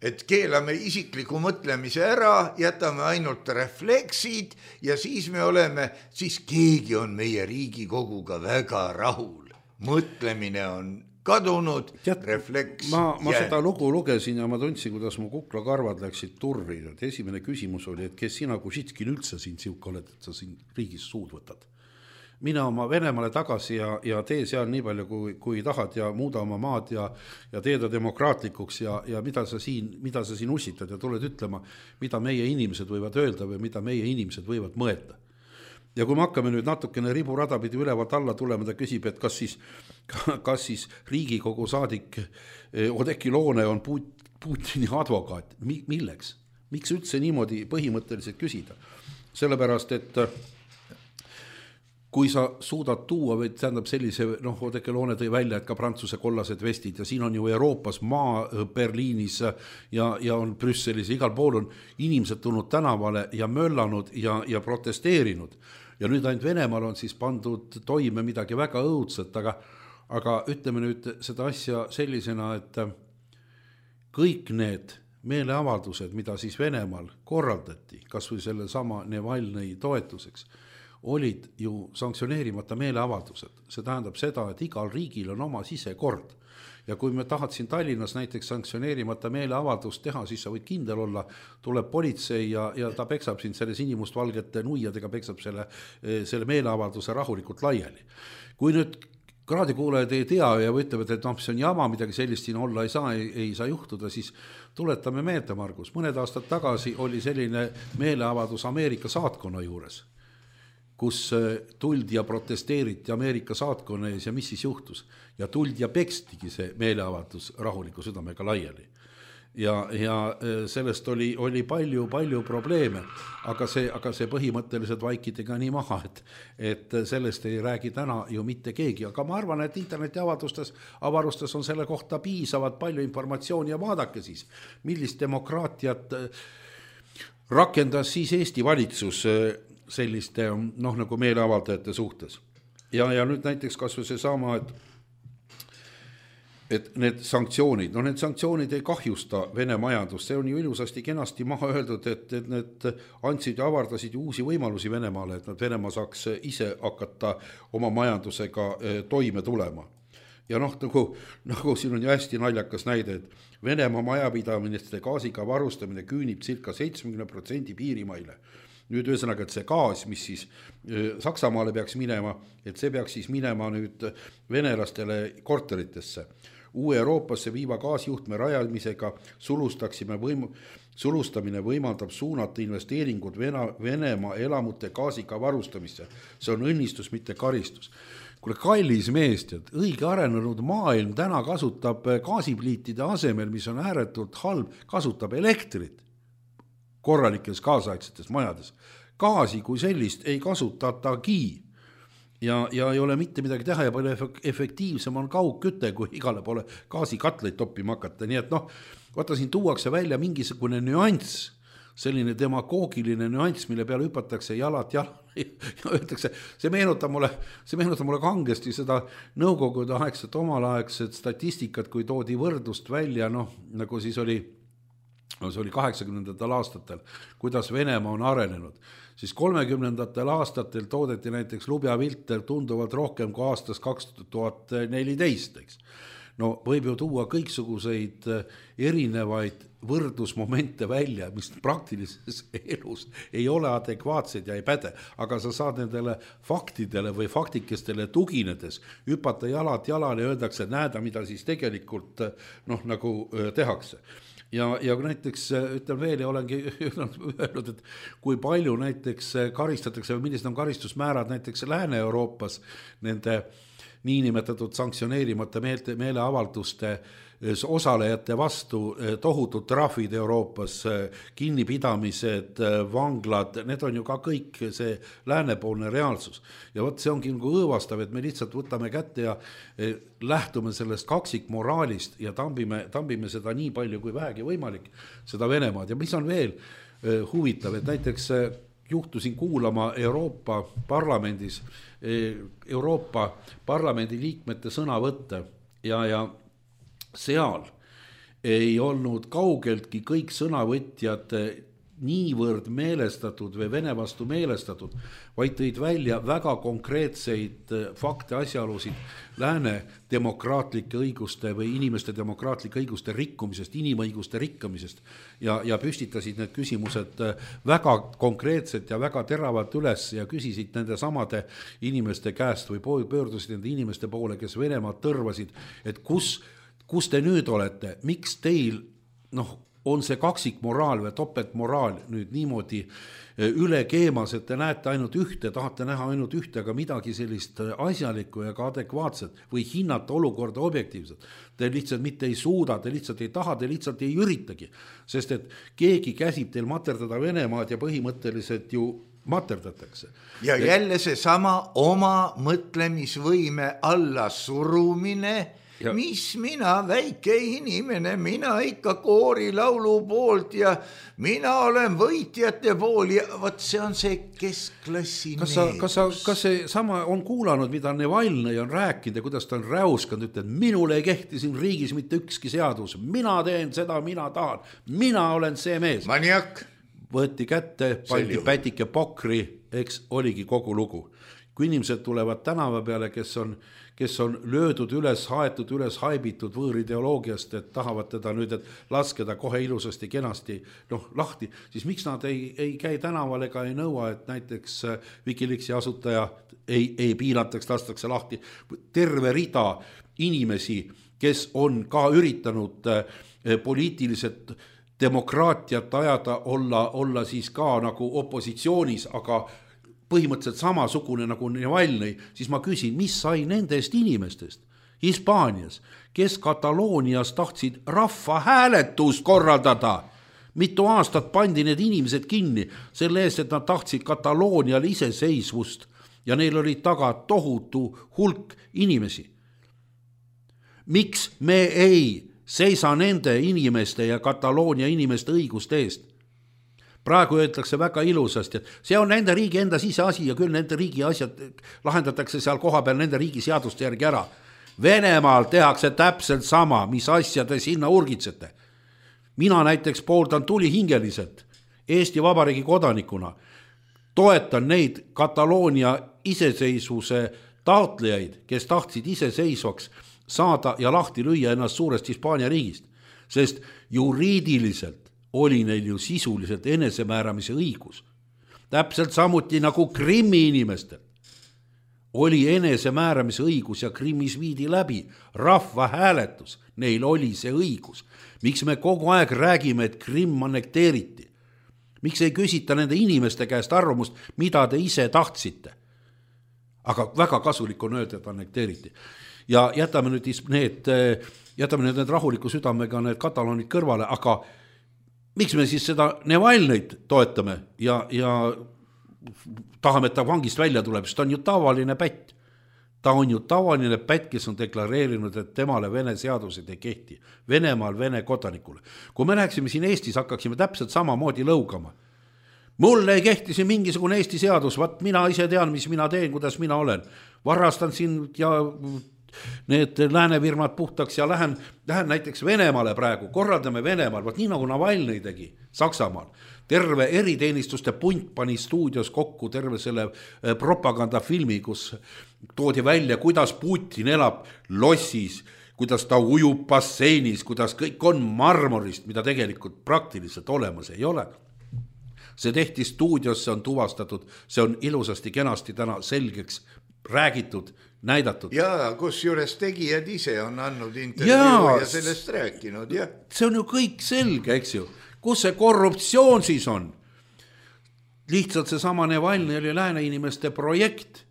et keelame isikliku mõtlemise ära, jätame ainult refleksid ja siis me oleme, siis keegi on meie Riigikoguga väga rahul. Mõtlemine on kadunud, Tead, refleks ma, ma jäänud. seda lugu lugesin ja ma tundsin, kuidas mu kuklakarvad läksid turri. Esimene küsimus oli, et kes sina Kušitskin üldse siin siuke oled, et sa siin riigis suud võtad. Mina oma Venemaale tagasi ja, ja tee seal nii palju, kui, kui tahad ja muuda oma maad ja, ja teeda demokraatlikuks ja, ja mida, sa siin, mida sa siin usitad ja tuled ütlema, mida meie inimesed võivad öelda või mida meie inimesed võivad mõelda. Ja kui me hakkame nüüd natukene riburada pidi ülevalt alla tulema, ta küsib, et kas siis, kas siis Riigikogu saadik Oudekki Loone on Putini advokaat. Milleks? Miks üldse niimoodi põhimõtteliselt küsida? Sellepärast, et kui sa suudad tuua, või tähendab sellise, noh, Oudekki Loone tõi välja, et ka prantsuse kollased vestid ja siin on ju Euroopas maa Berliinis ja, ja on Brüsselis, igal pool on inimesed tulnud tänavale ja möllanud ja, ja protesteerinud. Ja nüüd ainult Venemaal on siis pandud toime midagi väga õudset, aga, aga ütleme nüüd seda asja sellisena, et kõik need meeleavaldused, mida siis Venemaal korraldati, kas või selle sama Navalnõi toetuseks, olid ju sanktsioneerimata meeleavaldused. See tähendab seda, et igal riigil on oma sisekord. Ja kui me tahad siin Tallinnas näiteks sanktsioneerimata meeleavaldust teha, siis sa võid kindel olla, tuleb politsei ja, ja ta peksab siin selle sinimustvalgete nuiadega, peksab selle, selle meeleavalduse rahulikult laiali. Kui nüüd kraadikuulajad ei tea ja ütlevad, et noh, see on jama, midagi sellist siin olla ei saa, ei, ei saa juhtuda, siis tuletame meelde, Margus. Mõned aastad tagasi oli selline meeleavaldus Ameerika saatkonna juures, kus tuldi ja protesteeriti Ameerika saatkonna ees ja mis siis juhtus. Ja tuldi ja pekstigi see meeleavaldus rahuliku südamega laiali. Ja, ja sellest oli, oli palju, palju probleeme, aga see, aga see põhimõtteliselt vaikidega nii maha, et, et sellest ei räägi täna ju mitte keegi. Aga ma arvan, et internetiavaldustes, avarustes on selle kohta piisavalt palju informatsiooni ja vaadake siis, millist demokraatiat rakendas siis Eesti valitsus selliste, noh, nagu meeleavaldajate suhtes. Ja, ja nüüd näiteks kas või see sama, et, et need sanktsioonid, no need sanktsioonid ei kahjusta Vene majandust, see on ju ilusasti kenasti maha öeldud, et, et need andsid ja avardasid uusi võimalusi Venemaale, et nad Venemaa saaks ise hakata oma majandusega toime tulema. Ja noh, nagu, nagu siin on ju hästi naljakas näide, et Venemaa majapidamiste gaasiga varustamine küünib circa seitsekümmend protsenti piirimaile. Nüüd ühesõnaga, et see gaas, mis siis Saksamaale peaks minema, et see peaks siis minema nüüd venelastele korteritesse. Uue Euroopasse viiva gaasjuhtme rajamisega sulustaksime võim, sulustamine võimaldab suunata investeeringud Vene, Venemaa elamute gaasiga varustamisse. See on õnnistus, mitte karistus. Kuule, kallis meest, et õige arenenud maailm täna kasutab gaasipliitide asemel, mis on ääretult halb, kasutab elektrit korralikes kaasaegsetes majades. Gaasi kui sellist ei kasutatagi ja, ja ei ole mitte midagi teha ja palju efektiivsem on kaugküte, kui igale poole gaasikatleid toppima hakata. Nii et noh, vaata siin tuuakse välja mingisugune nüanss, selline demagoogiline nüanss, mille peale hüpatakse jalat jalal ja öeldakse, see meenutab mulle, see meenutab mulle kangesti seda nõukogude aegset omalaegset statistikat, kui toodi võrdlust välja, noh, nagu siis oli no see oli kaheksakümnendatel aastatel, kuidas Venemaa on arenenud, siis kolmekümnendatel aastatel toodeti näiteks lubjavilter tunduvalt rohkem kui aastas kaks tuhat neliteist, eks. No võib ju tuua kõiksuguseid erinevaid võrdlusmomente välja, mis praktilises elus ei ole adekvaatsed ja ei päde, aga sa saad nendele faktidele või faktikestele tuginedes hüpata jalad jalal ja öeldakse, näeda, mida siis tegelikult noh, nagu tehakse. Ja, ja näiteks ütlen veel ja olengi öelnud, et kui palju näiteks karistatakse või millised on karistusmäärad näiteks Lääne-Euroopas nende niinimetatud sanktsioneerimata meele, meeleavalduste osalejate vastu, tohutud trahvid Euroopas, kinnipidamised, vanglad, need on ju ka kõik see läänepoolne reaalsus. Ja võt see ongi nagu õõvastav, et me lihtsalt võtame kätte ja lähtume sellest kaksikmoraalist ja tambime, tambime seda nii palju kui vähegi võimalik, seda Venemaad. Ja mis on veel huvitav, et näiteks juhtusin kuulama Euroopa parlamendis, Euroopa parlamendi liikmete sõnavõtte ja, ja seal ei olnud kaugeltki kõik sõnavõtjad niivõrd meelestatud või Vene vastu meelestatud, vaid tõid välja väga konkreetseid fakte, asjaolusid lääne demokraatlike õiguste või inimeste demokraatlike õiguste rikkumisest, inimõiguste rikkamisest ja, ja püstitasid need küsimused väga konkreetselt ja väga teravalt üles ja küsisid nende samade inimeste käest või pöördusid nende inimeste poole, kes Venemaad tõrvasid, et kus, kus te nüüd olete, miks teil noh, on see kaksikmoraal või topeltmoraal nüüd niimoodi üle keemas, et te näete ainult ühte, tahate näha ainult ühte, aga midagi sellist asjalikku ja ka adekvaatset või hinnata olukorda objektiivselt. Te lihtsalt mitte ei suuda, te lihtsalt ei taha, te lihtsalt ei üritagi, sest et keegi käsib teil materdada Venemaad ja põhimõtteliselt ju materdatakse. Ja jälle see sama oma mõtlemisvõime alla surumine, ja. Mis mina, väike inimene, mina ikka koorilaulu poolt ja mina olen võitjate pool ja võt see on see keskklassi kas sa, kas, sa, kas see sama on kuulanud, mida Nevalnõi on rääkinud ja kuidas ta on räuskanud, ütled, minule ei kehti siin riigis mitte ükski seadus, mina teen seda, mina tahan, mina olen see mees. Maniak. Võeti kätte, pandi pätike pokri, eks oligi kogu lugu. Kui inimesed tulevad tänava peale, kes on, kes on löödud üles, haetud üles, haibitud võõrideoloogiast, et tahavad teda nüüd, et laskeda kohe ilusasti, kenasti noh, lahti, siis miks nad ei, ei käi tänaval ega ei nõua, et näiteks Wikileaksi asutaja ei, ei piinataks, lastakse lahti terve rida inimesi, kes on ka üritanud poliitiliselt demokraatiat ajada, olla, olla siis ka nagu opositsioonis, aga põhimõtteliselt samasugune nagu Nevalnõi, siis ma küsin, mis sai nendest inimestest Hispaanias, kes Kataloonias tahtsid rahva hääletust korraldada. Mitu aastat pandi need inimesed kinni selle eest, et nad tahtsid Kataloonial iseseisvust ja neil oli taga tohutu hulk inimesi. Miks me ei seisa nende inimeste ja Kataloonia inimeste õiguste eest? Praegu öeldakse väga ilusasti, et see on nende riigi enda siseasi ja küll nende riigi asjad lahendatakse seal koha peal nende riigi seaduste järgi ära. Venemaal tehakse täpselt sama, mis asja te sinna urgitsete. Mina näiteks pooldan tulihingeliselt Eesti Vabariigi kodanikuna. Toetan neid Kataloonia iseseisvuse taotlejaid, kes tahtsid iseseisvaks saada ja lahti lüüa ennast suurest Hispaania riigist, sest juriidiliselt oli neil ju sisuliselt enesemääramise õigus. Täpselt samuti nagu Krimmi inimestel oli enesemääramise õigus ja Krimmis viidi läbi rahva hääletus. Neil oli see õigus. Miks me kogu aeg räägime, et Krimm annekteeriti? Miks ei küsita nende inimeste käest arvamust, mida te ise tahtsite? Aga väga kasulik on öelda, et annekteeriti. Ja jätame nüüd need, jätame nüüd need rahuliku südamega need kataloonid kõrvale, aga miks me siis seda Nevalnõit toetame ja, ja tahame, et ta vangist välja tuleb, sest ta on ju tavaline pätt. Ta on ju tavaline pätt, kes on deklareerinud, et temale Vene seadused ei kehti. Venemaal Vene kodanikule. Kui me läheksime siin Eestis, hakkaksime täpselt samamoodi lõugama. Mulle ei kehti siin mingisugune Eesti seadus, vaat mina ise tean, mis mina teen, kuidas mina olen. Varastan siin ja need läänefirmad puhtaks ja lähen, lähen näiteks Venemaale praegu, korraldame Venemaal, vaat nii nagu Navalnõi tegi Saksamaal. Terve eriteenistuste punt pani stuudios kokku terve selle propagandafilmi, kus toodi välja, kuidas Putin elab lossis, kuidas ta ujub basseinis, kuidas kõik on marmorist, mida tegelikult praktiliselt olemas ei ole. See tehti stuudios, see on tuvastatud, see on ilusasti kenasti täna selgeks räägitud, näidatud. Ja kus juures tegijad ise on andnud intervjuu ja, ja sellest rääkinud. Ja. See on ju kõik selge, eks ju. Kus see korruptsioon siis on? Lihtsalt see sama Nevalnõi oli lääne inimeste projekt,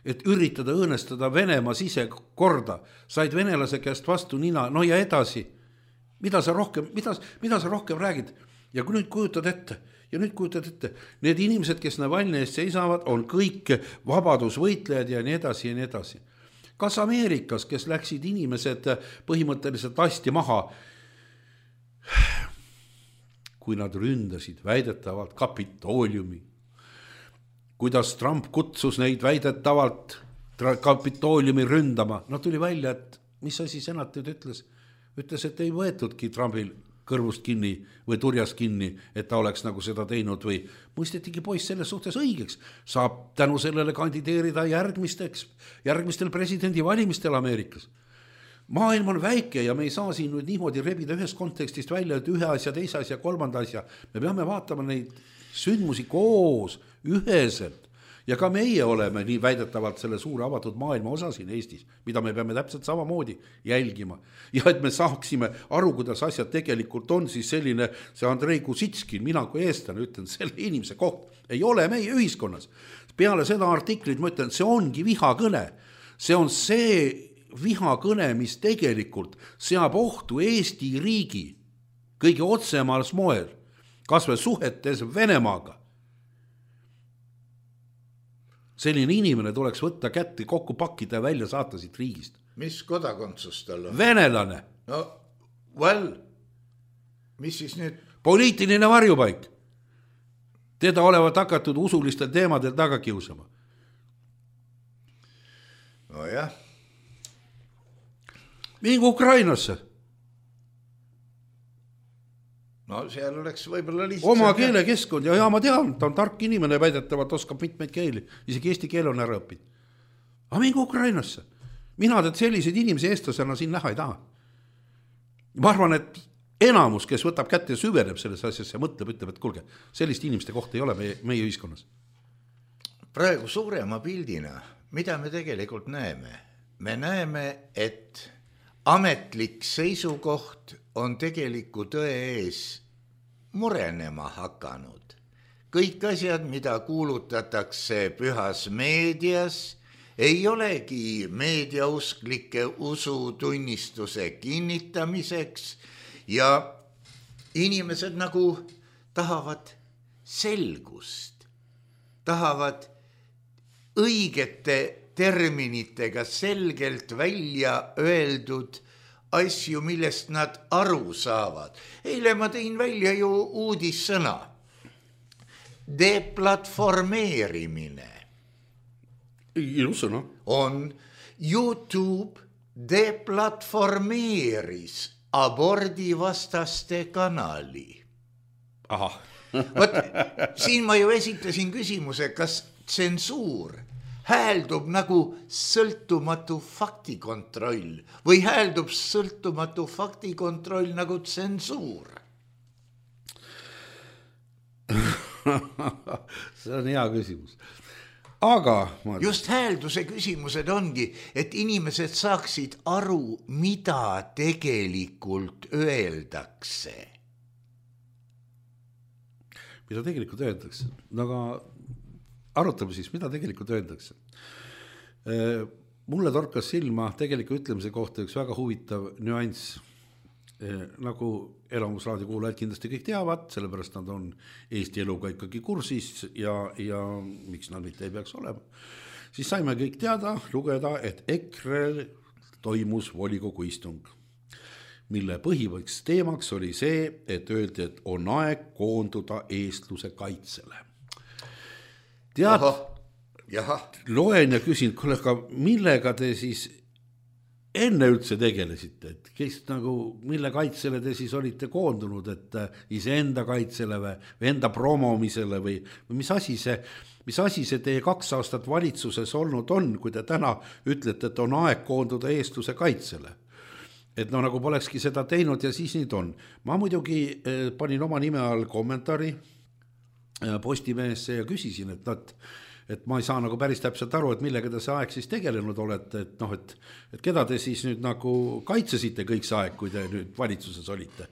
et üritada õõnestada Venemaa sisekorda. Said venelase käest vastu nina, no ja edasi. Mida sa rohkem, mida, mida sa rohkem räägid? Ja kui nüüd kujutad ette, ja nüüd kujutad ette, need inimesed, kes Navalnõi eest seisavad, on kõik vabadusvõitlejad ja nii edasi ja nii edasi. Kas Ameerikas, kes läksid inimesed põhimõtteliselt asti maha, kui nad ründasid väidetavalt Kapitooliumi, kuidas Trump kutsus neid väidetavalt Kapitooliumi ründama, no tuli välja, et mis asi senat nüüd ütles? Ütles, et ei võetudki Trumpil kõrvust kinni või turjast kinni, et ta oleks nagu seda teinud või mõistetigi poiss selles suhtes õigeks. Saab tänu sellele kandideerida järgmisteks, järgmistel presidendivalimistel Ameerikas. Maailm on väike ja me ei saa siin nüüd niimoodi rebida ühest kontekstist välja, et ühe asja, teise asja, kolmanda asja. Me peame vaatama neid sündmusi koos, üheselt. Ja ka meie oleme nii väidetavalt selle suure avatud maailma osa siin Eestis, mida me peame täpselt samamoodi jälgima. Ja et me saaksime aru, kuidas asjad tegelikult on, siis selline see Andrei Kusitskin, mina kui eestlane ütlen, selle inimese koht ei ole meie ühiskonnas. Peale seda artiklit ma ütlen, see ongi vihakõne. See on see vihakõne, mis tegelikult seab ohtu Eesti riigi kõige otsemaals moel, kas või suhetes Venemaaga. Selline inimene tuleks võtta kätte, kokku pakkida ja välja saata siit riigist. Mis kodakondsus tal on? Venelane. No, well, mis siis nüüd? Poliitiline varjupaik. Teda olevat hakatud usulistel teemadel taga kiusama. No jah. Mingi Ukrainasse. No seal oleks võib-olla lihtsalt... Oma keelekeskkond ja, ja ma tean, ta on tark inimene, väidetavalt oskab mitmeid keeli, isegi eesti keel on ära õppinud. Aga mingi Ukrainasse. Mina tead selliseid inimesi eestlasena siin näha ei taha. Ma arvan, et enamus, kes võtab kätte ja süveneb selles asjasse ja mõtleb, ütleb, et kulge, sellist inimeste kohta ei ole meie, meie ühiskonnas. Praegu suurema pildina, mida me tegelikult näeme? Me näeme, et ametlik seisukoht on tegeliku tõe ees murenema hakanud. Kõik asjad, mida kuulutatakse pühas meedias, ei olegi meediausklike usutunnistuse kinnitamiseks ja inimesed nagu tahavad selgust, tahavad õigete terminitega selgelt välja öeldud asju, millest nad aru saavad. Eile ma tõin välja ju uudissõna. Deplatformeerimine. Ilus sõna. On YouTube deplatformeeris abordivastaste kanali. Aha. Võt, siin ma ju esitasin küsimuse, kas tsensuur hääldub nagu sõltumatu faktikontroll või hääldub sõltumatu faktikontroll nagu tsensuur? See on hea küsimus. Aga ma... just häälduse küsimused ongi, et inimesed saaksid aru, mida tegelikult öeldakse. Mida tegelikult öeldakse? Aga arutame siis, mida tegelikult öeldakse. Mulle torkas silma tegeliku ütlemise kohta üks väga huvitav nüanss. Nagu Elamusraadio kuulajad kindlasti kõik teavad, sellepärast nad on Eesti eluga ikkagi kursis ja, ja miks nad mitte ei peaks olema. Siis saime kõik teada, lugeda, et EKRE toimus volikogu istung, mille põhivõiks teemaks oli see, et öeldi, et on aeg koonduda eestluse kaitsele. Tead, Jaha. loen ja küsin, kollega, millega te siis enne üldse tegelesite, et kes nagu, mille kaitsele te siis olite koondunud, et iseenda kaitsele või enda promomisele või, või mis asi see, mis asi see teie kaks aastat valitsuses olnud on, kui te täna ütlete, et on aeg koonduda eestluse kaitsele. Et no nagu polekski seda teinud ja siis nüüd on. Ma muidugi panin oma nime all kommentaari Postimehesse ja küsisin, et nad et ma ei saa nagu päris täpselt aru, et millega te see aeg siis tegelenud olete, et noh, et, et keda te siis nüüd nagu kaitsesite kõik see aeg, kui te nüüd valitsuses olite.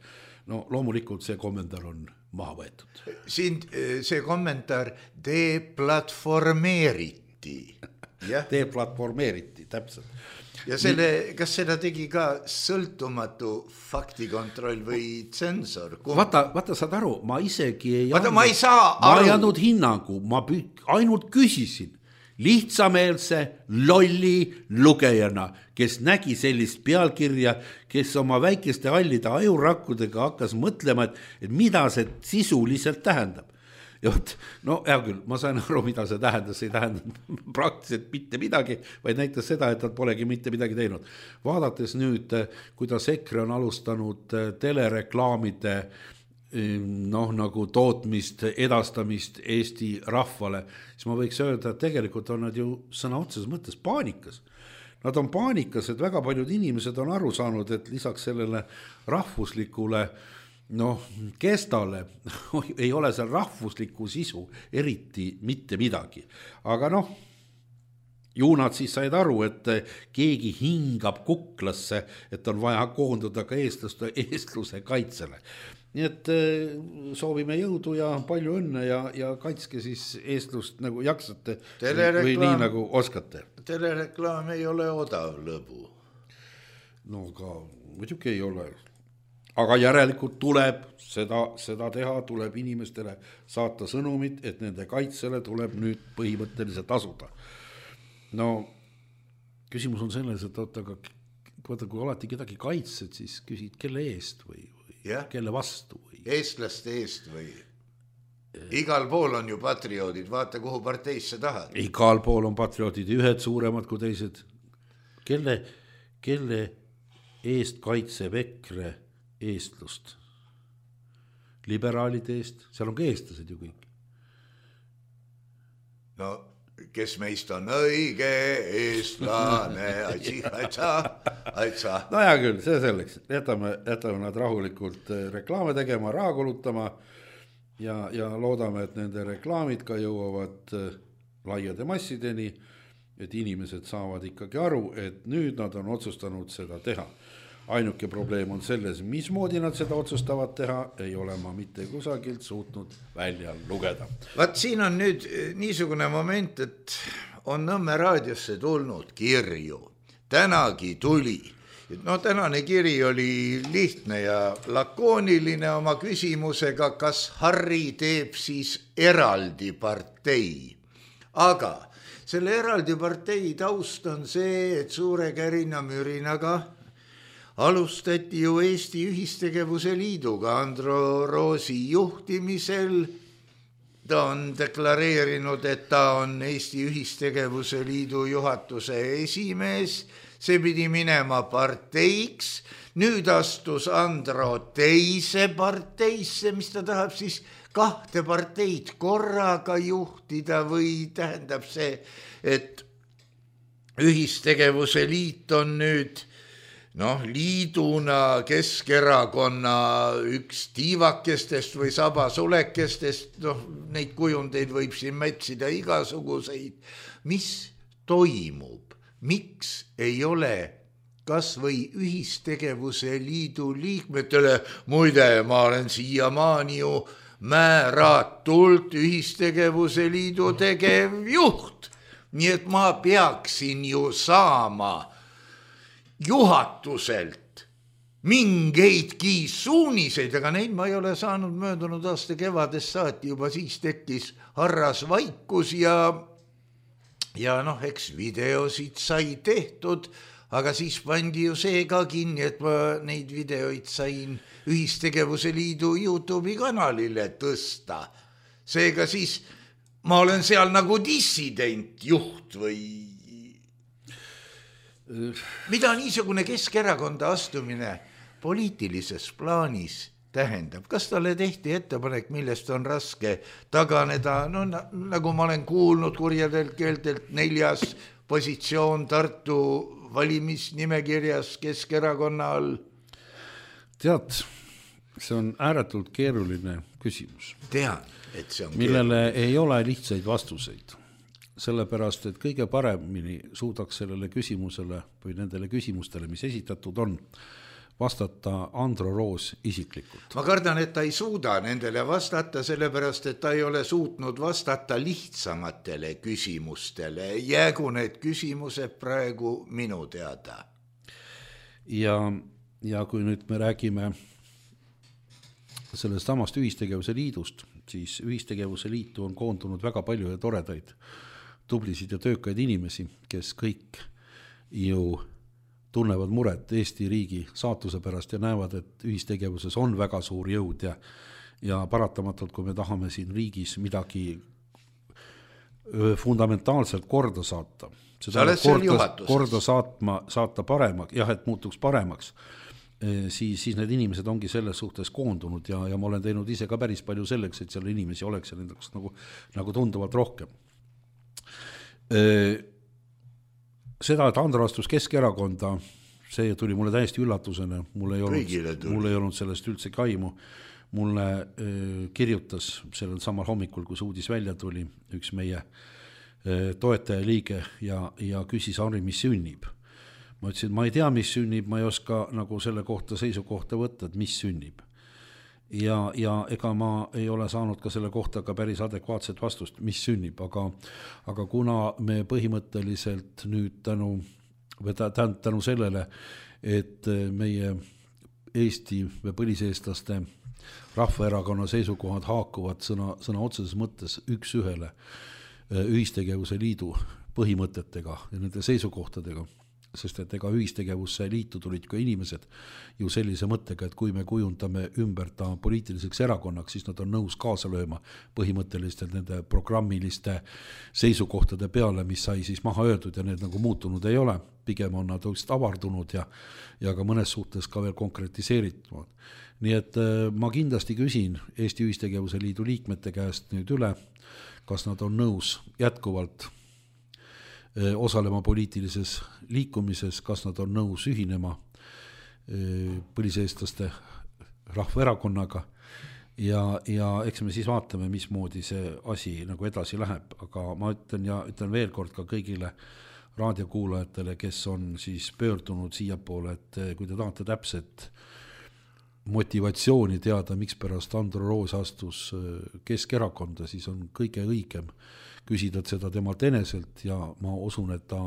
No loomulikult see kommentaar on maha võetud. Siin see kommentaar deplatformeeriti. Deplatformeeriti, täpselt. Ja selle, kas seda tegi ka sõltumatu faktikontroll või tsensor? Vaata, vaata saad aru, ma isegi ei vaata, ma ei saa aru. Ma ei andnud hinnangu, ma ainult küsisin lihtsameelse lolli lugejana, kes nägi sellist pealkirja, kes oma väikeste hallide ajurakkudega hakkas mõtlema, et, et mida see sisuliselt tähendab. ja võt, no hea küll, ma sain aru, mida see tähendas, see ei tähendanud praktiliselt mitte midagi, vaid näitas seda, et nad polegi mitte midagi teinud. Vaadates nüüd, kuidas EKRE on alustanud telereklaamide noh, nagu tootmist, edastamist Eesti rahvale, siis ma võiks öelda, et tegelikult on nad ju sõna otseses mõttes paanikas. Nad on paanikas, et väga paljud inimesed on aru saanud, et lisaks sellele rahvuslikule noh, kestale ei ole seal rahvusliku sisu eriti mitte midagi. Aga noh, ju nad siis said aru, et keegi hingab kuklasse, et on vaja koonduda ka eestlaste, eestluse kaitsele. Nii et soovime jõudu ja palju õnne ja, ja kaitske siis eestlust nagu jaksate või nii nagu oskate. Telereklaam ei ole odav lõbu. No ka muidugi ei ole. Aga järelikult tuleb seda, seda teha, tuleb inimestele saata sõnumit, et nende kaitsele tuleb nüüd põhimõtteliselt asuda. No küsimus on selles, et oota, aga vaata, kui alati kedagi kaitsed, siis küsid, kelle eest või, või ja? Kelle vastu? Või? Eestlaste eest või? Igal pool on ju patrioodid, vaata kuhu parteisse tahad. Igal pool on patrioodid, ühed suuremad kui teised. Kelle, kelle eest kaitseb EKRE eestlust? Liberaalide eest, seal on ka eestlased ju kõik. No, kes meist on õige eestlane, aitsi, aitsa, aitsa. No hea küll, see selleks, jätame, jätame nad rahulikult reklaame tegema, raha kulutama ja, ja loodame, et nende reklaamid ka jõuavad laiade massideni, et inimesed saavad ikkagi aru, et nüüd nad on otsustanud seda teha. Ainuke probleem on selles, mismoodi nad seda otsustavad teha, ei ole ma mitte kusagilt suutnud välja lugeda. Vaat siin on nüüd niisugune moment, et on Nõmme raadiosse tulnud kirju. Tänagi tuli. No tänane kiri oli lihtne ja lakooniline oma küsimusega, kas Harri teeb siis eraldi partei. Aga selle eraldi partei taust on see, et suure kärina mürinaga alustati ju Eesti Ühistegevuse Liiduga Andro Roosi juhtimisel. Ta on deklareerinud, et ta on Eesti Ühistegevuse Liidu juhatuse esimees. See pidi minema parteiks. Nüüd astus Andro teise parteisse, mis ta tahab siis kahte parteid korraga juhtida või tähendab see, et Ühistegevuse Liit on nüüd noh, liiduna Keskerakonna üks tiivakestest või sabasulekestest, noh, neid kujundeid võib siin mätsida igasuguseid. Mis toimub? Miks ei ole kas või Ühistegevuse Liidu liikmetele, muide, ma olen siiamaani ju määratult Ühistegevuse Liidu tegevjuht, nii et ma peaksin ju saama juhatuselt mingeidki suuniseid, aga neid ma ei ole saanud möödunud aasta kevadest saati, juba siis tekkis harras vaikus ja, ja noh, eks videosid sai tehtud, aga siis pandi ju see ka kinni, et ma neid videoid sain Ühistegevuse Liidu YouTube'i kanalile tõsta. Seega siis ma olen seal nagu dissident juht või mida niisugune Keskerakonda astumine poliitilises plaanis tähendab? Kas talle tehti ettepanek, millest on raske taganeda? No nagu ma olen kuulnud kurjadelt keeltelt, neljas positsioon Tartu valimisnimekirjas Keskerakonna all. Tead, see on ääretult keeruline küsimus. Tean, et see on millele keeruline. Ei ole lihtsaid vastuseid. Sellepärast, et kõige paremini suudaks sellele küsimusele või nendele küsimustele, mis esitatud on, vastata Andro Roos isiklikult. Ma kardan, et ta ei suuda nendele vastata, sellepärast, et ta ei ole suutnud vastata lihtsamatele küsimustele. Jäägu need küsimused praegu minu teada. Ja, ja kui nüüd me räägime sellest samast Ühistegevuse Liidust, siis Ühistegevuse Liitu on koondunud väga palju ja toredaid tublisid ja töökaid inimesi, kes kõik ju tunnevad muret Eesti riigi saatuse pärast ja näevad, et ühistegevuses on väga suur jõud ja ja paratamatult, kui me tahame siin riigis midagi fundamentaalselt korda saata, seda korda, korda saatma, saata paremaks, jah, et muutuks paremaks, siis, siis need inimesed ongi selles suhtes koondunud ja, ja ma olen teinud ise ka päris palju selleks, et seal inimesi oleks ja nendeks nagu, nagu tunduvalt rohkem. Seda, et Andro astus Keskerakonda, see tuli mulle täiesti üllatusena, mul ei olnud, mul ei olnud sellest üldse kaimu. Mulle kirjutas sellel samal hommikul, kui see uudis välja tuli, üks meie toetaja liige ja, ja küsis Henri, mis sünnib. Ma ütlesin, ma ei tea, mis sünnib, ma ei oska nagu selle kohta seisukohta võtta, et mis sünnib. Ja, ja ega ma ei ole saanud ka selle kohta ka päris adekvaatset vastust, mis sünnib, aga, aga kuna me põhimõtteliselt nüüd tänu, tänu sellele, et meie Eesti või põliseestlaste Rahvaerakonna seisukohad haakuvad sõna, sõna otseses mõttes üks ühele ühistegevuse liidu põhimõtetega ja nende seisukohtadega, sest et ega ühistegevusse liitu tulid ka inimesed ju sellise mõttega, et kui me kujundame ümber ta poliitiliseks erakonnaks, siis nad on nõus kaasa lööma põhimõtteliselt nende programmiliste seisukohtade peale, mis sai siis maha öeldud ja need nagu muutunud ei ole. Pigem on nad avardunud ja, ja ka mõnes suhtes ka veel konkretiseeritud. Nii et ma kindlasti küsin Eesti Ühistegevuse Liidu liikmete käest nüüd üle, kas nad on nõus jätkuvalt osalema poliitilises liikumises, kas nad on nõus ühinema põliseestlaste Rahvaerakonnaga ja, ja eks me siis vaatame, mismoodi see asi nagu edasi läheb, aga ma ütlen ja ütlen veel kord ka kõigile raadiokuulajatele, kes on siis pöördunud siia poole, et kui te tahate täpset motivatsiooni teada, miks pärast Andro Roos astus Keskerakonda, siis on kõige õigem küsida seda temalt eneselt ja ma usun, et ta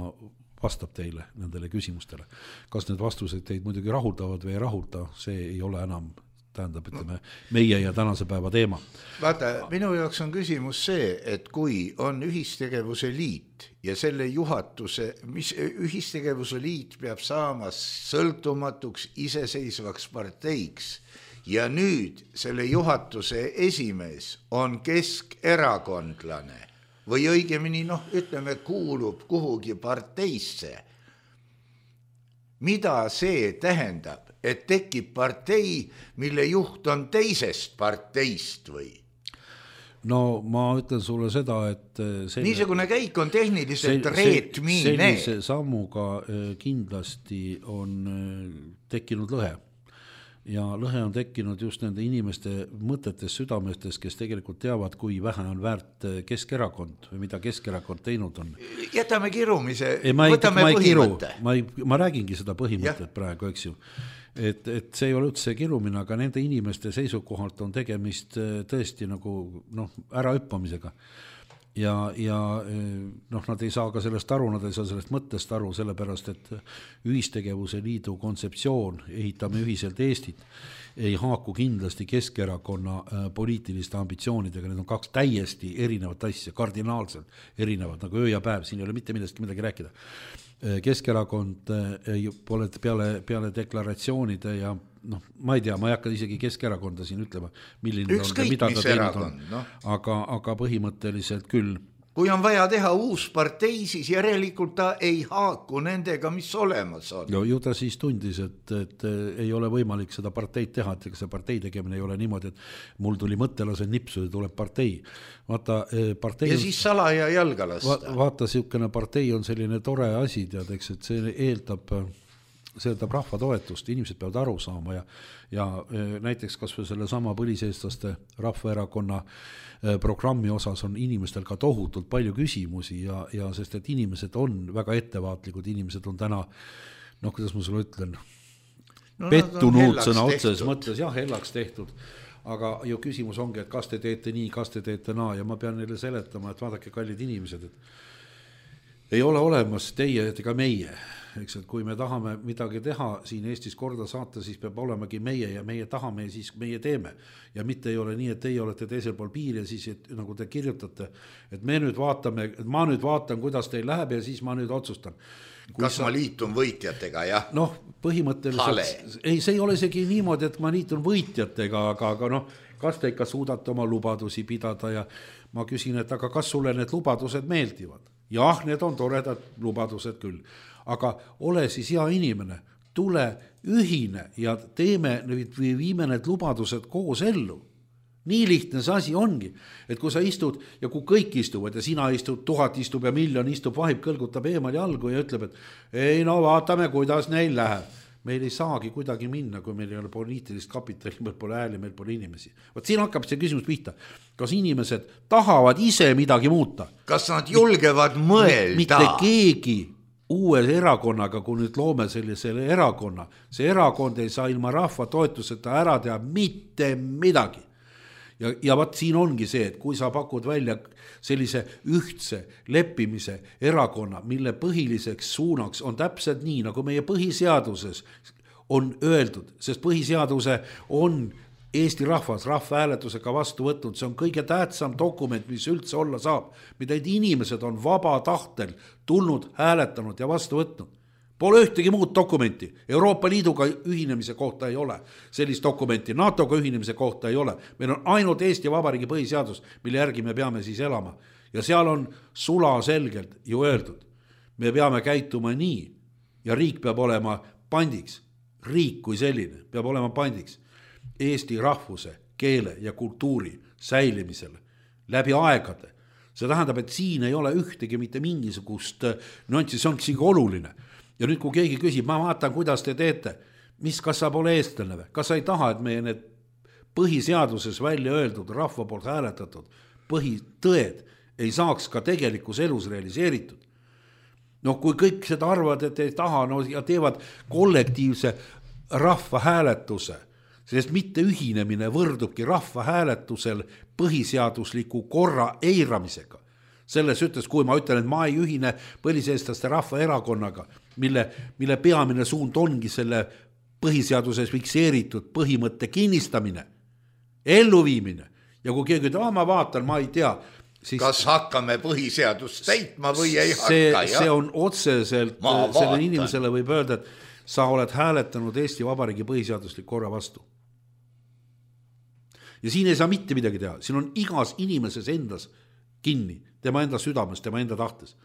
vastab teile nendele küsimustele. Kas need vastused teid muidugi rahuldavad või ei rahulda, see ei ole enam, tähendab, ütleme, meie ja tänase päeva teema. Vaata, minu jaoks on küsimus see, et kui on ühistegevuse liit ja selle juhatuse, mis ühistegevuse liit peab saama sõltumatuks iseseisvaks parteiks ja nüüd selle juhatuse esimees on keskerakondlane või õigemini, noh, ütleme, kuulub kuhugi parteisse. Mida see tähendab? Et tekib partei, mille juht on teisest parteist või? No ma ütlen sulle seda, et selle, niisugune käik on tehniliselt reetmine. Sellise sammuga kindlasti on tekkinud lõhe. Ja lõhe on tekkinud just nende inimeste mõtetes, südamestes, kes tegelikult teavad, kui vähe on väärt Keskerakond või mida Keskerakond teinud on. Jätame kirumise, ei, ma ei, võtame ma ei põhimõtte. Kiru, ma, ei, ma räägingi seda põhimõtet ja. Praegu, eks ju. Et, et see ei ole üldse kirumine, aga nende inimeste seisukohalt on tegemist tõesti nagu noh, äraüppamisega. Ja, ja noh, nad ei saa ka sellest aru, nad ei saa sellest mõttest aru, sellepärast, et ühistegevuse liidu kontseptsioon, ehitame ühiselt Eestit, ei haaku kindlasti Keskerakonna poliitiliste ambitsioonidega, need on kaks täiesti erinevat asja, kardinaalselt erinevad, nagu öö ja päev, siin ei ole mitte millestki midagi rääkida. Keskerakond pole peale, peale deklaratsioonide ja noh, ma ei tea, ma ei hakka isegi Keskerakonda siin ütlema, milline ükskõik, on, mida ta teinud erakond, on, no. aga, aga põhimõtteliselt küll. Kui on vaja teha uus partei, siis järelikult ta ei haaku nendega, mis olemas on. No, ju ta siis tundis, et, et ei ole võimalik seda parteid teha, et see partei tegemine ei ole niimoodi, et mul tuli mõttelase nipsu ja tuleb partei. Vaata, partei ja on, siis salaja jalga lasta. Va, vaata, siukene partei on selline tore asi, teadeks, et see eeldab, see eeldab rahva toetust, inimesed peavad aru saama ja, ja näiteks kas või selle sama põliseestlaste Rahvaerakonna programmi osas on inimestel ka tohutult palju küsimusi ja, ja sest, et inimesed on väga ettevaatlikud, inimesed on täna, noh, kuidas ma sulle ütlen, no, pettunud sõna otses mõttes, jah, hellaks tehtud, aga ju küsimus ongi, et kas te teete nii, kas te teete naa ja ma pean neile seletama, et vaadake, kallid inimesed, et ei ole olemas teie ega meie, eks, et kui me tahame midagi teha siin Eestis korda saata, siis peab olemagi meie ja meie tahame ja siis meie teeme. Ja mitte ei ole nii, et teie olete teisel pool piir ja siis, et, nagu te kirjutate, et me nüüd vaatame, et ma nüüd vaatan, kuidas teil läheb ja siis ma nüüd otsustan. Kui kas sa... ma liitun võitjatega, jah? Noh, põhimõtteliselt, ei, see ei ole isegi niimoodi, et ma liitun võitjatega, aga, aga noh, kas te ikka suudate oma lubadusi pidada ja ma küsin, et aga kas sulle need lubadused meeldivad? Jah, need on toredad lubadused küll, aga ole siis hea inimene, tule ühine ja teeme või viime need lubadused koos ellu. Nii lihtne see asi ongi, et kui sa istud ja kui kõik istuvad ja sina istud, tuhat istub ja miljon istub, vahib, kõlgutab eemal jalgu ja ütleb, et ei no vaatame, kuidas neil läheb. Meil ei saagi kuidagi minna, kui meil ei ole poliitilist kapitali, meil pole ääli, meil pole inimesi. Võt siin hakkab see küsimus pihta. Kas inimesed tahavad ise midagi muuta? Kas nad julgevad mõelda? Mitte keegi uue erakonnaga, kui nüüd loome sellisele erakonna, see erakond ei saa ilma rahva toetuseta ära teha mitte midagi. Ja, ja vaat siin ongi see, et kui sa pakud välja sellise ühtse leppimise erakonna, mille põhiliseks suunaks on täpselt nii, nagu meie põhiseaduses on öeldud, sest põhiseaduse on Eesti rahvas rahvahääletusega vastu võtnud, see on kõige tähtsam dokument, mis üldse olla saab, mida inimesed on vaba tahtel tulnud, hääletanud ja vastu võtnud. Pole ühtegi muud dokumenti. Euroopa Liiduga ühinemise kohta ei ole sellist dokumenti, NATOga ühinemise kohta ei ole. Meil on ainult Eesti Vabariigi põhiseadus, mille järgi me peame siis elama. Ja seal on sula selgelt ju öeldud. Me peame käituma nii ja riik peab olema pandiks. Riik kui selline peab olema pandiks Eesti rahvuse, keele ja kultuuri säilimisele läbi aegade. See tähendab, et siin ei ole ühtegi mitte mingisugust nüanssi, see on siiski oluline. Ja nüüd, kui keegi küsib, ma vaatan, kuidas te teete, mis, kas sa pole eestlane või? Kas sa ei taha, et meie need põhiseaduses välja öeldud, rahva poolt hääletatud põhitõed ei saaks ka tegelikus elus realiseeritud? No kui kõik seda arvad, et ei taha, no ja teevad kollektiivse rahva hääletuse, sest mitte ühinemine võrdubki rahva hääletusel põhiseadusliku korra eiramisega. Selles ütles, kui ma ütlen, et ma ei ühine põliseestlaste rahvaerakonnaga, mille, mille peamine suund ongi selle põhiseaduses fikseeritud põhimõtte kinnistamine, elluviimine. Ja kui keegi ütleb, ma vaatan, ma ei tea. Siis kas hakkame põhiseadust täitma või ei see, hakka? See on otseselt, selle inimesele võib öelda, et sa oled hääletanud Eesti Vabariigi põhiseaduslik korra vastu. Ja siin ei saa mitte midagi teha. Siin on igas inimeses endas kinni, tema enda südames, tema enda tahtes.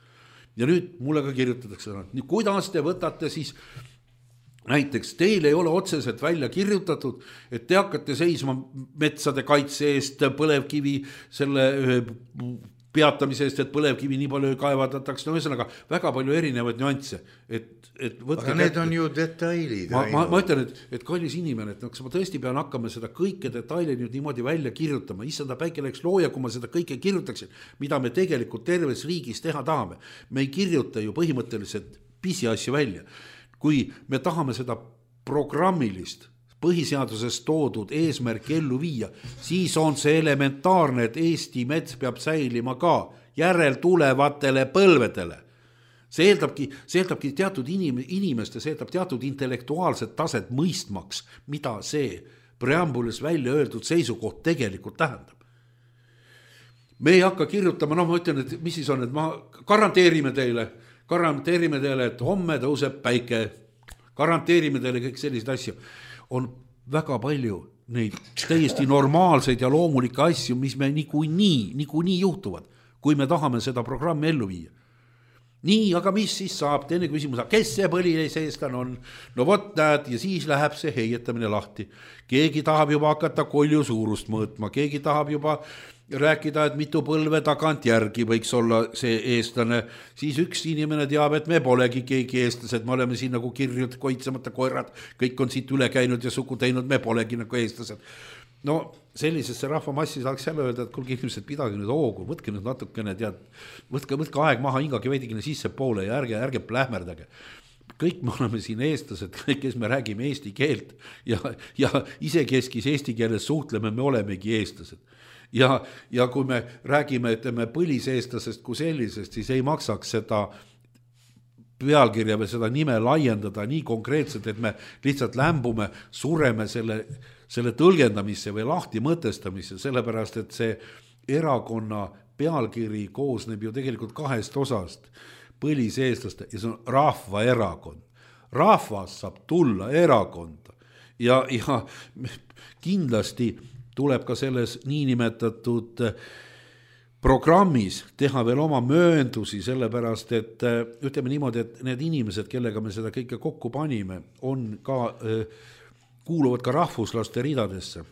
Ja nüüd mulle ka kirjutatakse, et kuidas te võtate siis, näiteks teil ei ole otseselt välja kirjutatud, et te hakkate seisma metsade kaitse eest, põlevkivi selle peatamise eest, et põlevkivi nii palju kaevatatakse, no ühesõnaga väga palju erinevaid nüansse. Et, et aga need kätte. On ju detailid. Ma, ma, ma ütlen, et, et kallis inimene, et kas ma tõesti pean hakkama seda kõike detaili nüüd niimoodi välja kirjutama, issanda päike läks looja, kui ma seda kõike kirjutaksin, mida me tegelikult terves riigis teha tahame. Me ei kirjuta ju põhimõtteliselt pisiasju välja. Kui me tahame seda programmilist põhiseaduses toodud eesmärk ellu viia, siis on see elementaarne, et Eesti mets peab säilima ka järeltulevatele põlvedele. See eeldabki, see eeldabki teatud inim, inimeste, see eeldab teatud intellektuaalset taset mõistmaks, mida see preambulis välja öeldud seisukoht tegelikult tähendab. Me ei hakka kirjutama, noh ma ütlen, et mis siis on, et ma garanteerime teile, garanteerime teile, et homme tõuseb päike, garanteerime teile kõik sellised asju. On väga palju neid täiesti normaalseid ja loomulikke asju, mis me niikuinii, niikuinii juhtuvad, kui me tahame seda programmi ellu viia. Nii, aga mis siis saab? Teine küsimus, kes see põliseestlane on? No vot näed, ja siis läheb see heietamine lahti. Keegi tahab juba hakata kolju suurust mõõtma, keegi tahab juba rääkida, et mitu põlve tagant järgi võiks olla see eestlane. Siis üks inimene teab, et me polegi keegi eestlased, me oleme siin nagu kirjud, koitsemata koerad, kõik on siit üle käinud ja sugu teinud, me polegi nagu eestlased. No sellisesse rahvamassi saaks jälle öelda, et kuulge inimesed, pidage nüüd hoogu, võtke nüüd natukene, tead, võtke, võtke aeg maha, hingage veidikene sisse poole ja ärge, ärge plähmerdage. Kõik me oleme siin eestlased, kõik, kes me räägime eesti keelt ja, ja isekeskis eesti keeles suhtleme, me olemegi eestlased. Ja, ja kui me räägime, ütleme, põliseestlasest kui sellisest, siis ei maksaks seda pealkirja või seda nime laiendada nii konkreetselt, et me lihtsalt lämbume, sureme selle, selle tõlgendamisse või lahti mõtestamisse, sellepärast, et see erakonna pealkiri koosneb ju tegelikult kahest osast, põliseestlaste ja see on rahvaerakond. Rahvas saab tulla erakonda ja, ja kindlasti tuleb ka selles niinimetatud programmis teha veel oma mööndusi, sellepärast et ütleme niimoodi, et need inimesed, kellega me seda kõike kokku panime, on ka, kuuluvad ka rahvuslaste ridadesse.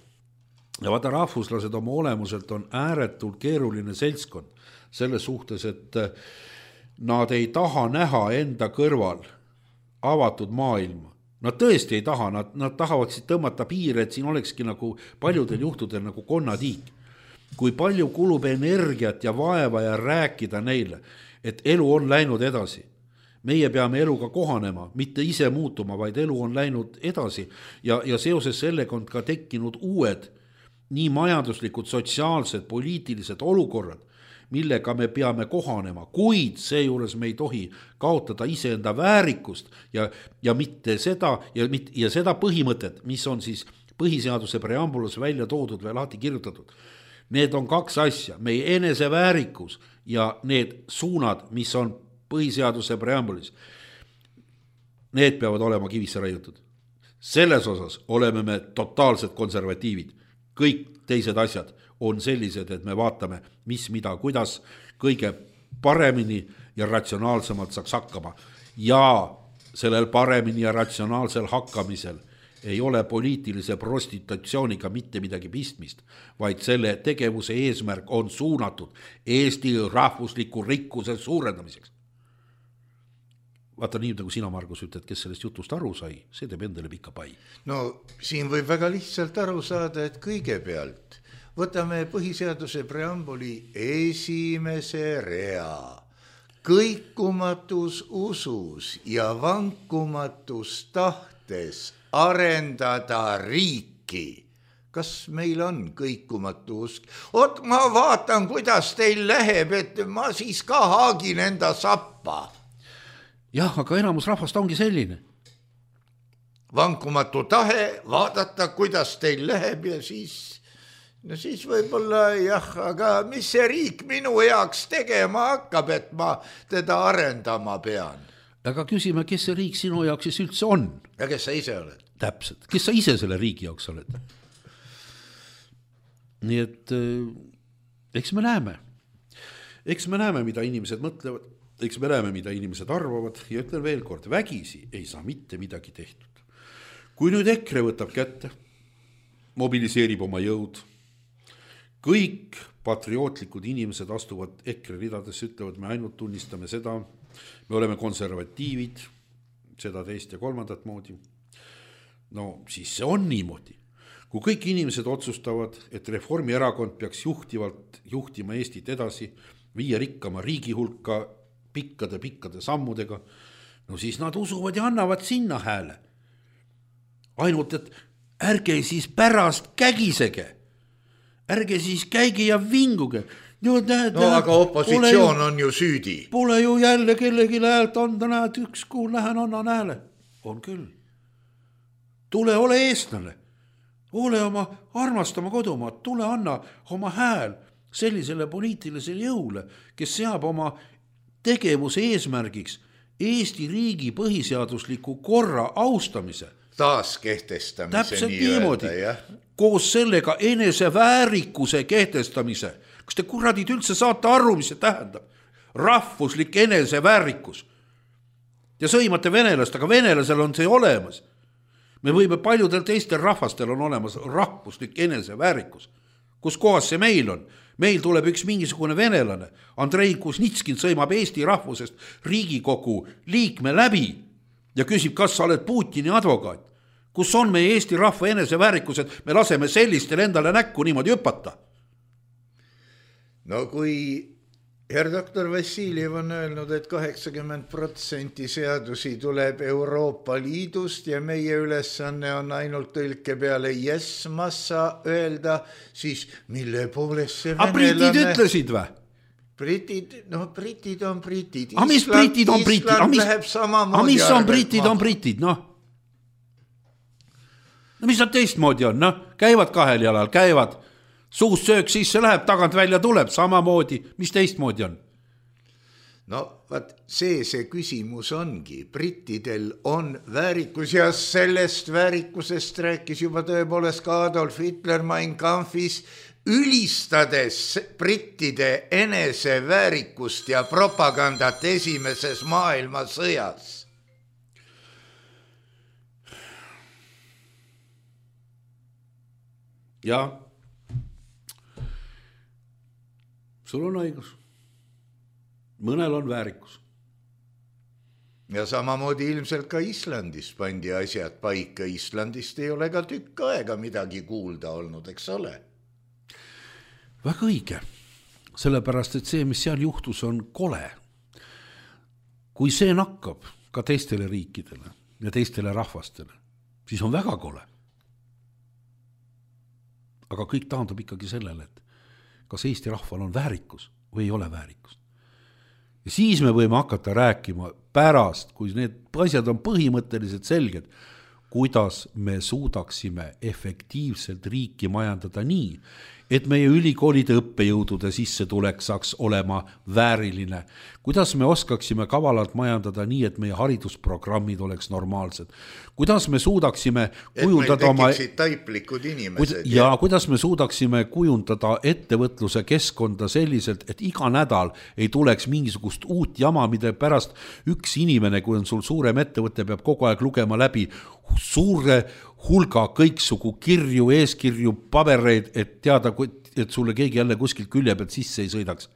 Ja vaata, rahvuslased oma olemuselt on ääretult keeruline seltskond selles suhtes, et nad ei taha näha enda kõrval avatud maailma. Nad tõesti ei taha, nad, nad tahavad siis tõmmata piire, et siin olekski nagu paljudel juhtudel nagu konnatiik. Kui palju kulub energiat ja vaeva ja rääkida neile, et elu on läinud edasi. Meie peame eluga kohanema, mitte ise muutuma, vaid elu on läinud edasi ja, ja seoses sellega on ka tekkinud uued nii majanduslikud, sotsiaalsed, poliitilised olukorrad, millega me peame kohanema, kuid seejuures me ei tohi kaotada iseenda väärikust ja, ja mitte seda ja, ja seda põhimõtet, mis on siis põhiseaduse preambulas välja toodud või lahti kirjutatud. Need on kaks asja, meie eneseväärikus ja need suunad, mis on põhiseaduse preambulis. Need peavad olema kivisse raiutud. Selles osas oleme me totaalsed konservatiivid. Kõik teised asjad on sellised, et me vaatame, mis, mida, kuidas kõige paremini ja ratsionaalsemalt saaks hakkama. Ja sellel paremini ja ratsionaalsel hakkamisel ei ole poliitilise prostitutsiooniga mitte midagi pistmist, vaid selle tegevuse eesmärk on suunatud Eesti rahvusliku rikkuse suurendamiseks. Vaata nii, nagu sina, Margus, ütled, kes sellest jutust aru sai, see teeb endale pika pai. No siin võib väga lihtsalt aru saada, et kõigepealt võtame põhiseaduse preambuli esimese rea. Kõikumatus usus ja vankumatus tahtes arendada riiki. Kas meil on kõikumatu usk? Ot, ma vaatan, kuidas teil läheb, et ma siis ka haagin enda sappa. Jah, aga enamus rahvast ongi selline. Vankumatu tahe vaadata, kuidas teil läheb ja siis, no siis võib-olla jah, aga mis see riik minu heaks tegema hakkab, et ma teda arendama pean? Aga küsime, kes see riik sinu jaoks siis üldse on? Ja kes sa ise oled? Täpselt, kes sa ise selle riigi jaoks oled? Nii et eks me näeme. Eks me näeme, mida inimesed mõtlevad, eks me näeme, mida inimesed arvavad ja ütlen veel kord, vägisi ei saa mitte midagi tehtud. Kui nüüd EKRE võtab kätte, mobiliseerib oma jõud, kõik patriootlikud inimesed astuvad EKRE ridadesse, ütlevad, me ainult tunnistame seda, me oleme konservatiivid, seda teist ja kolmandat moodi. No siis see on niimoodi. Kui kõik inimesed otsustavad, et Reformierakond peaks juhtivalt juhtima Eestit edasi, viia rikkama riigi hulka pikkade-pikkade sammudega, no siis nad usuvad ja annavad sinna hääle. Ainult, et ärge siis pärast kägisege. Ärge siis käigi ja vinguge. No, näed, no aga opositsioon ju, on ju süüdi. Pole ju jälle kellegi häält anda, näed, üks kuu lähen annan hääle. On küll. Tule ole eestlane. Ole oma armastama kodumaad, tule anna oma hääl sellisele poliitilisele jõule, kes seab oma tegevuse eesmärgiks Eesti riigi põhiseadusliku korra austamise. Taas kehtestamise. Täpselt niimoodi. Koos sellega eneseväärikuse kehtestamise. Kas te kuradid üldse saate aru, mis see tähendab? Rahvuslik eneseväärikus. Ja sõimate venelast, aga venelasel on see olemas. Me võime paljudel teistel rahvastel on olemas rahvuslik eneseväärikus. Kus kohas see meil on? Meil tuleb üks mingisugune venelane. Andrei Kuznitskin sõimab Eesti rahvusest Riigikogu liikme läbi ja küsib, kas sa oled Putini advokaat. Kus on meie Eesti rahva eneseväärikus, et me laseme sellistel endale näkku niimoodi hüpata? No kui herr doktor Vassiljev on öelnud, et kaheksakümmend protsenti seadusi tuleb Euroopa Liidust ja meie ülesanne on ainult tõlke peale yes massa öelda, siis mille poolest see venelane... A britid ütlesid või? Britid, no britid on britid. A mis britid on britid? A mis, a mis on britid on britid, noh? No mis nad teistmoodi on, noh? Käivad kahel jalal, käivad... Suust söök sisse läheb, tagant välja tuleb, samamoodi, mis teistmoodi on? no vaat see see küsimus ongi, brittidel on väärikus ja sellest väärikusest rääkis juba tõepoolest ka Adolf Hitler Mein Kampfis, ülistades brittide enese väärikust ja propagandat esimeses maailmasõjas. Ja sul on õigus. Mõnel on väärikus. Ja samamoodi ilmselt ka Islandis pandi asjad paika. Islandist ei ole ka tükk aega midagi kuulda olnud, eks ole? Väga õige. Sellepärast, et see, mis seal juhtus, on kole. Kui see nakkab ka teistele riikidele ja teistele rahvastele, siis on väga kole. Aga kõik taandub ikkagi sellele, et kas Eesti rahval on väärikus või ei ole väärikust. Ja siis me võime hakata rääkima pärast, kui need asjad on põhimõtteliselt selged, kuidas me suudaksime efektiivselt riiki majandada nii, et meie ülikoolide õppejõudude sissetulek saaks olema vääriline. Kuidas me oskaksime kavalalt majandada nii, et meie haridusprogrammid oleks normaalsed. Kuidas me suudaksime kujundada oma... taiplikud inimesed. Ja kuidas me suudaksime kujundada ettevõtluse keskkonda selliselt, et iga nädal ei tuleks mingisugust uut jama, mida pärast üks inimene, kui on sul suurem ettevõte, peab kogu aeg lugema läbi suure hulga kõiksugu kirju, eeskirju, pabereid, et teada, et sulle keegi jälle kuskilt külje pealt sisse ei sõidaks.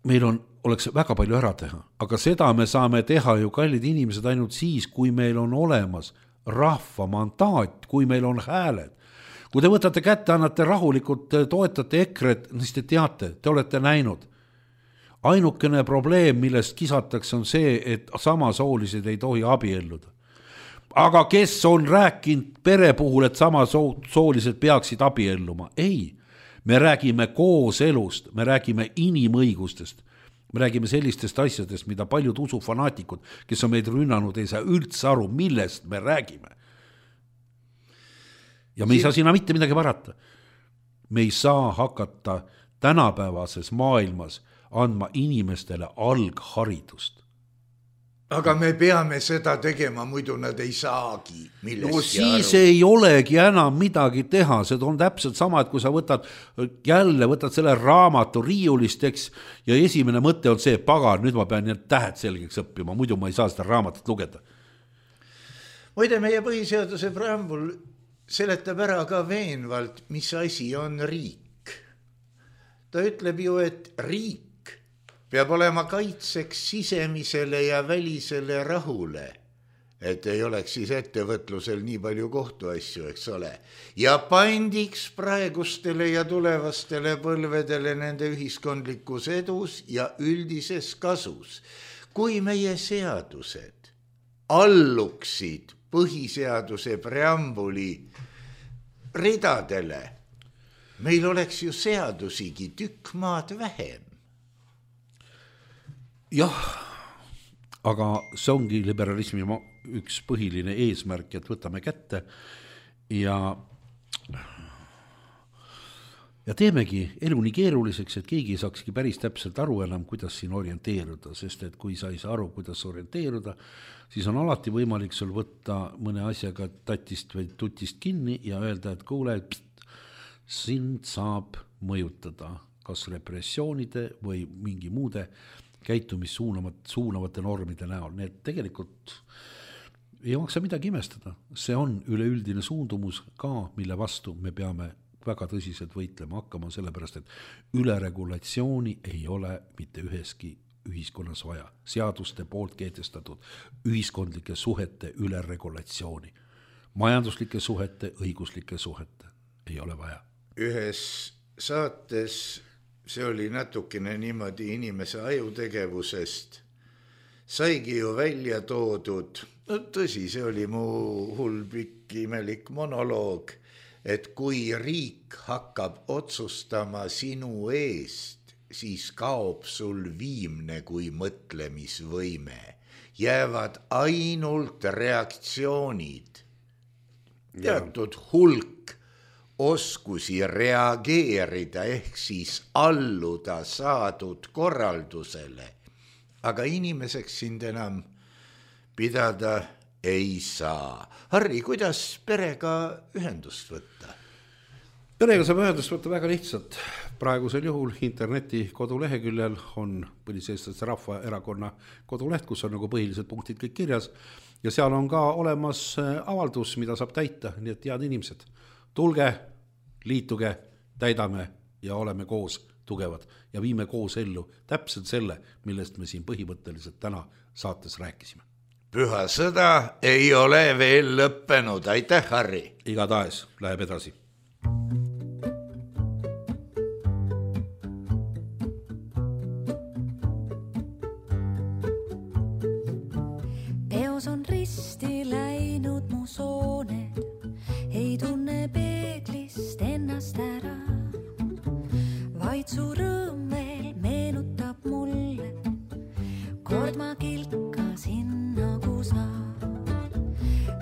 Meil on, oleks väga palju ära teha, aga seda me saame teha ju kallid inimesed ainult siis, kui meil on olemas rahva mandaat, kui meil on hääled. Kui te võtate kätte, annate rahulikult, toetate EKRE-t, siis te teate, te olete näinud. Ainukene probleem, millest kisatakse, on see, et samasoolised ei tohi abielluda. Aga kes on rääkinud pere puhul, et samasoolised peaksid abielluma? Ei, me räägime kooselust, me räägime inimõigustest, me räägime sellistest asjadest, mida paljud usufanaatikud, kes on meid rünnanud, ei saa üldse aru, millest me räägime. Ja me ei saa sinna mitte midagi parata. Me ei saa hakata tänapäevases maailmas andma inimestele algharidust. Aga me peame seda tegema, muidu nad ei saagi millestki no siis aru. Ei olegi enam midagi teha, see on täpselt sama, et kui sa võtad jälle, võtad selle raamatu riiulist, eks, ja esimene mõte on see, pagan, nüüd ma pean need tähed selgeks õppima, muidu ma ei saa seda raamatut lugeda. Muide, meie põhiseaduse preambul seletab ära ka veenvalt, mis asi on riik. Ta ütleb ju, et riik peab olema kaitseks sisemisele ja välisele rahule, et ei oleks siis ettevõtlusel nii palju kohtuasju, eks ole, ja pandiks praegustele ja tulevastele põlvedele nende ühiskondlikus edus ja üldises kasus. Kui meie seadused alluksid põhiseaduse preambuli ridadele, meil oleks ju seadusigi tükk maad vähem. Jah, aga see ongi liberalismi üks põhiline eesmärk, et võtame kätte ja, ja teemegi elu nii keeruliseks, et keegi ei saakski päris täpselt aru enam, kuidas siin orienteeruda, sest et kui sa ei saa aru, kuidas orienteeruda, siis on alati võimalik sul võtta mõne asjaga tatist või tutist kinni ja öelda, et kuule, pst, sind saab mõjutada kas repressioonide või mingi muude käitumis suunavate normide näol. Need tegelikult ei maksa midagi imestada. See on üleüldine suundumus ka, mille vastu me peame väga tõsiselt võitlema hakkama, sellepärast, et üleregulatsiooni ei ole mitte üheski ühiskonnas vaja. Seaduste poolt kehtestatud ühiskondlike suhete üleregulatsiooni. Majanduslike suhete, õiguslike suhete ei ole vaja. Ühes saates see oli natukene niimoodi inimese ajutegevusest, saigi ju välja toodud, no tõsi, see oli mu hull pikk imelik monoloog, et kui riik hakkab otsustama sinu eest, siis kaob sul viimne kui mõtlemisvõime. Jäävad ainult reaktsioonid. Teatud hulk oskusi reageerida ehk siis alluda saadud korraldusele, aga inimeseks sind enam pidada ei saa. Harri, kuidas perega ühendust võtta? Perega saab ühendust võtta väga lihtsalt. Praegusel juhul interneti koduleheküljel on Põliseestlaste Rahvaerakonna koduleht, kus on nagu põhilised punktid kõik kirjas ja seal on ka olemas avaldus, mida saab täita, nii et head inimesed, tulge, liituge, täidame ja oleme koos tugevad ja viime koos ellu täpselt selle, millest me siin põhimõtteliselt täna saates rääkisime. Püha sõda ei ole veel lõppenud, aitäh Harri! Igatahes läheb edasi. Peos on risti läinud mu sooned, ei tunne peeglist ennast ära, vaid su rõõm veel meenutab mulle, kord ma kilkasin nagu sa.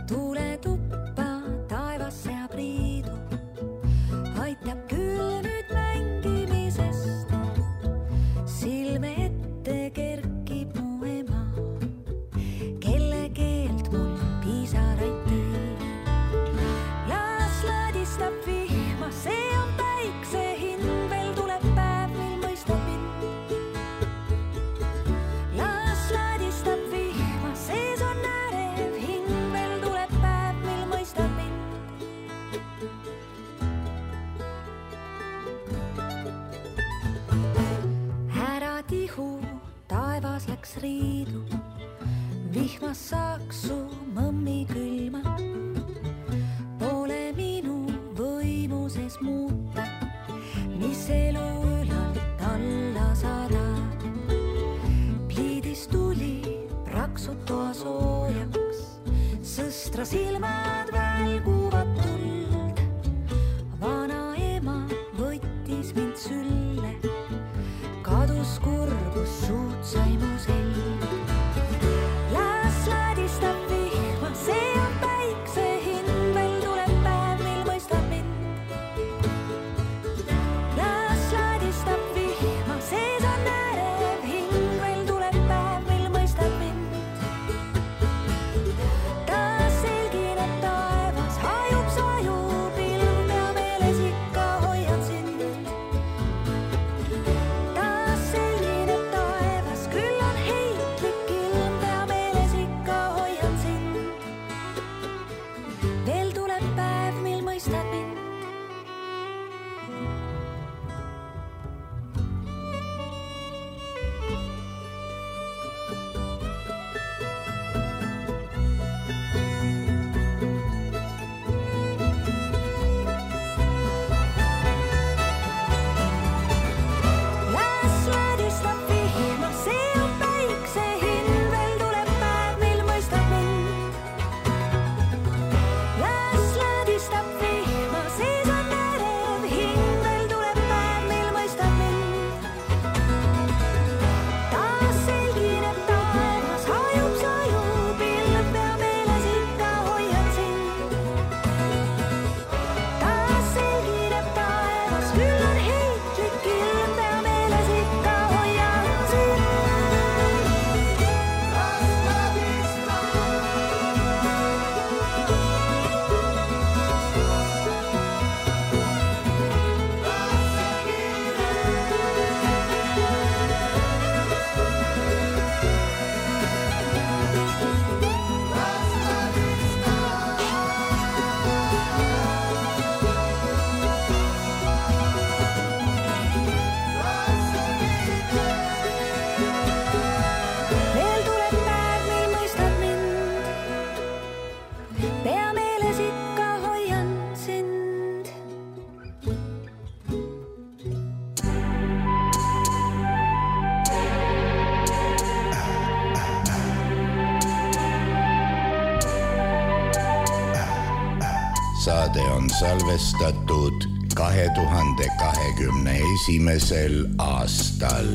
Tule tuppa, taevas seab riidu, aitab küll nüüd mängimisest, silme ette kerkib mu ema, kelle keelt mul piisaraid teeb. Las ladistab vihma, see on päikse hind, veel tuleb päev, mil mõistab mind. Las ladistab vihma, sees on ärev hing, veel tuleb päev, mil mõistab mind. Ära tihu, taevas läks riidu, vihmas saaks su mõmmi külma. Pole minu võimuses muuta, mis elu ülalt alla saadab. Pliidis tuli praksud toa soojaks, sõstra silmad välguvad tuld. Vana ema võttis mind sülle, kadus kurbus, suud sai mu selg. Las ladistab vihma, see on päikse hind, veel tuleb päev, mil mõistab mind. Las ladistab vihma, sees on ärev hing, veel tuleb päev, mil mõistab mind. Taas selgineb taevas, hajub sajub ilm, pea meeles ikka hoian sind. Taas selgineb taevas, küll on heitlik ilm, pea meeles ikka hoian sind. Veel tuleb päev, mil mõistad mind. Las ladistab vihma, see on päikse hind, veel tuleb päev, mil mõistab mind. Las ladistab vihma, sees on ärev hing, veel tuleb päev, mil mõistab mind. Taas selgineb taevas, hajub sajub ilm, pea meeles ikka hoian sind. Taas selgineb taevas, küll on heitlik ilm, pea meeles ikka hoian sind. Veel tuleb päev, mil mõistab mind, pea meeles ikka hoian sind. Saade on salvestatud kahe tuhande kahekümne esimesel aastal.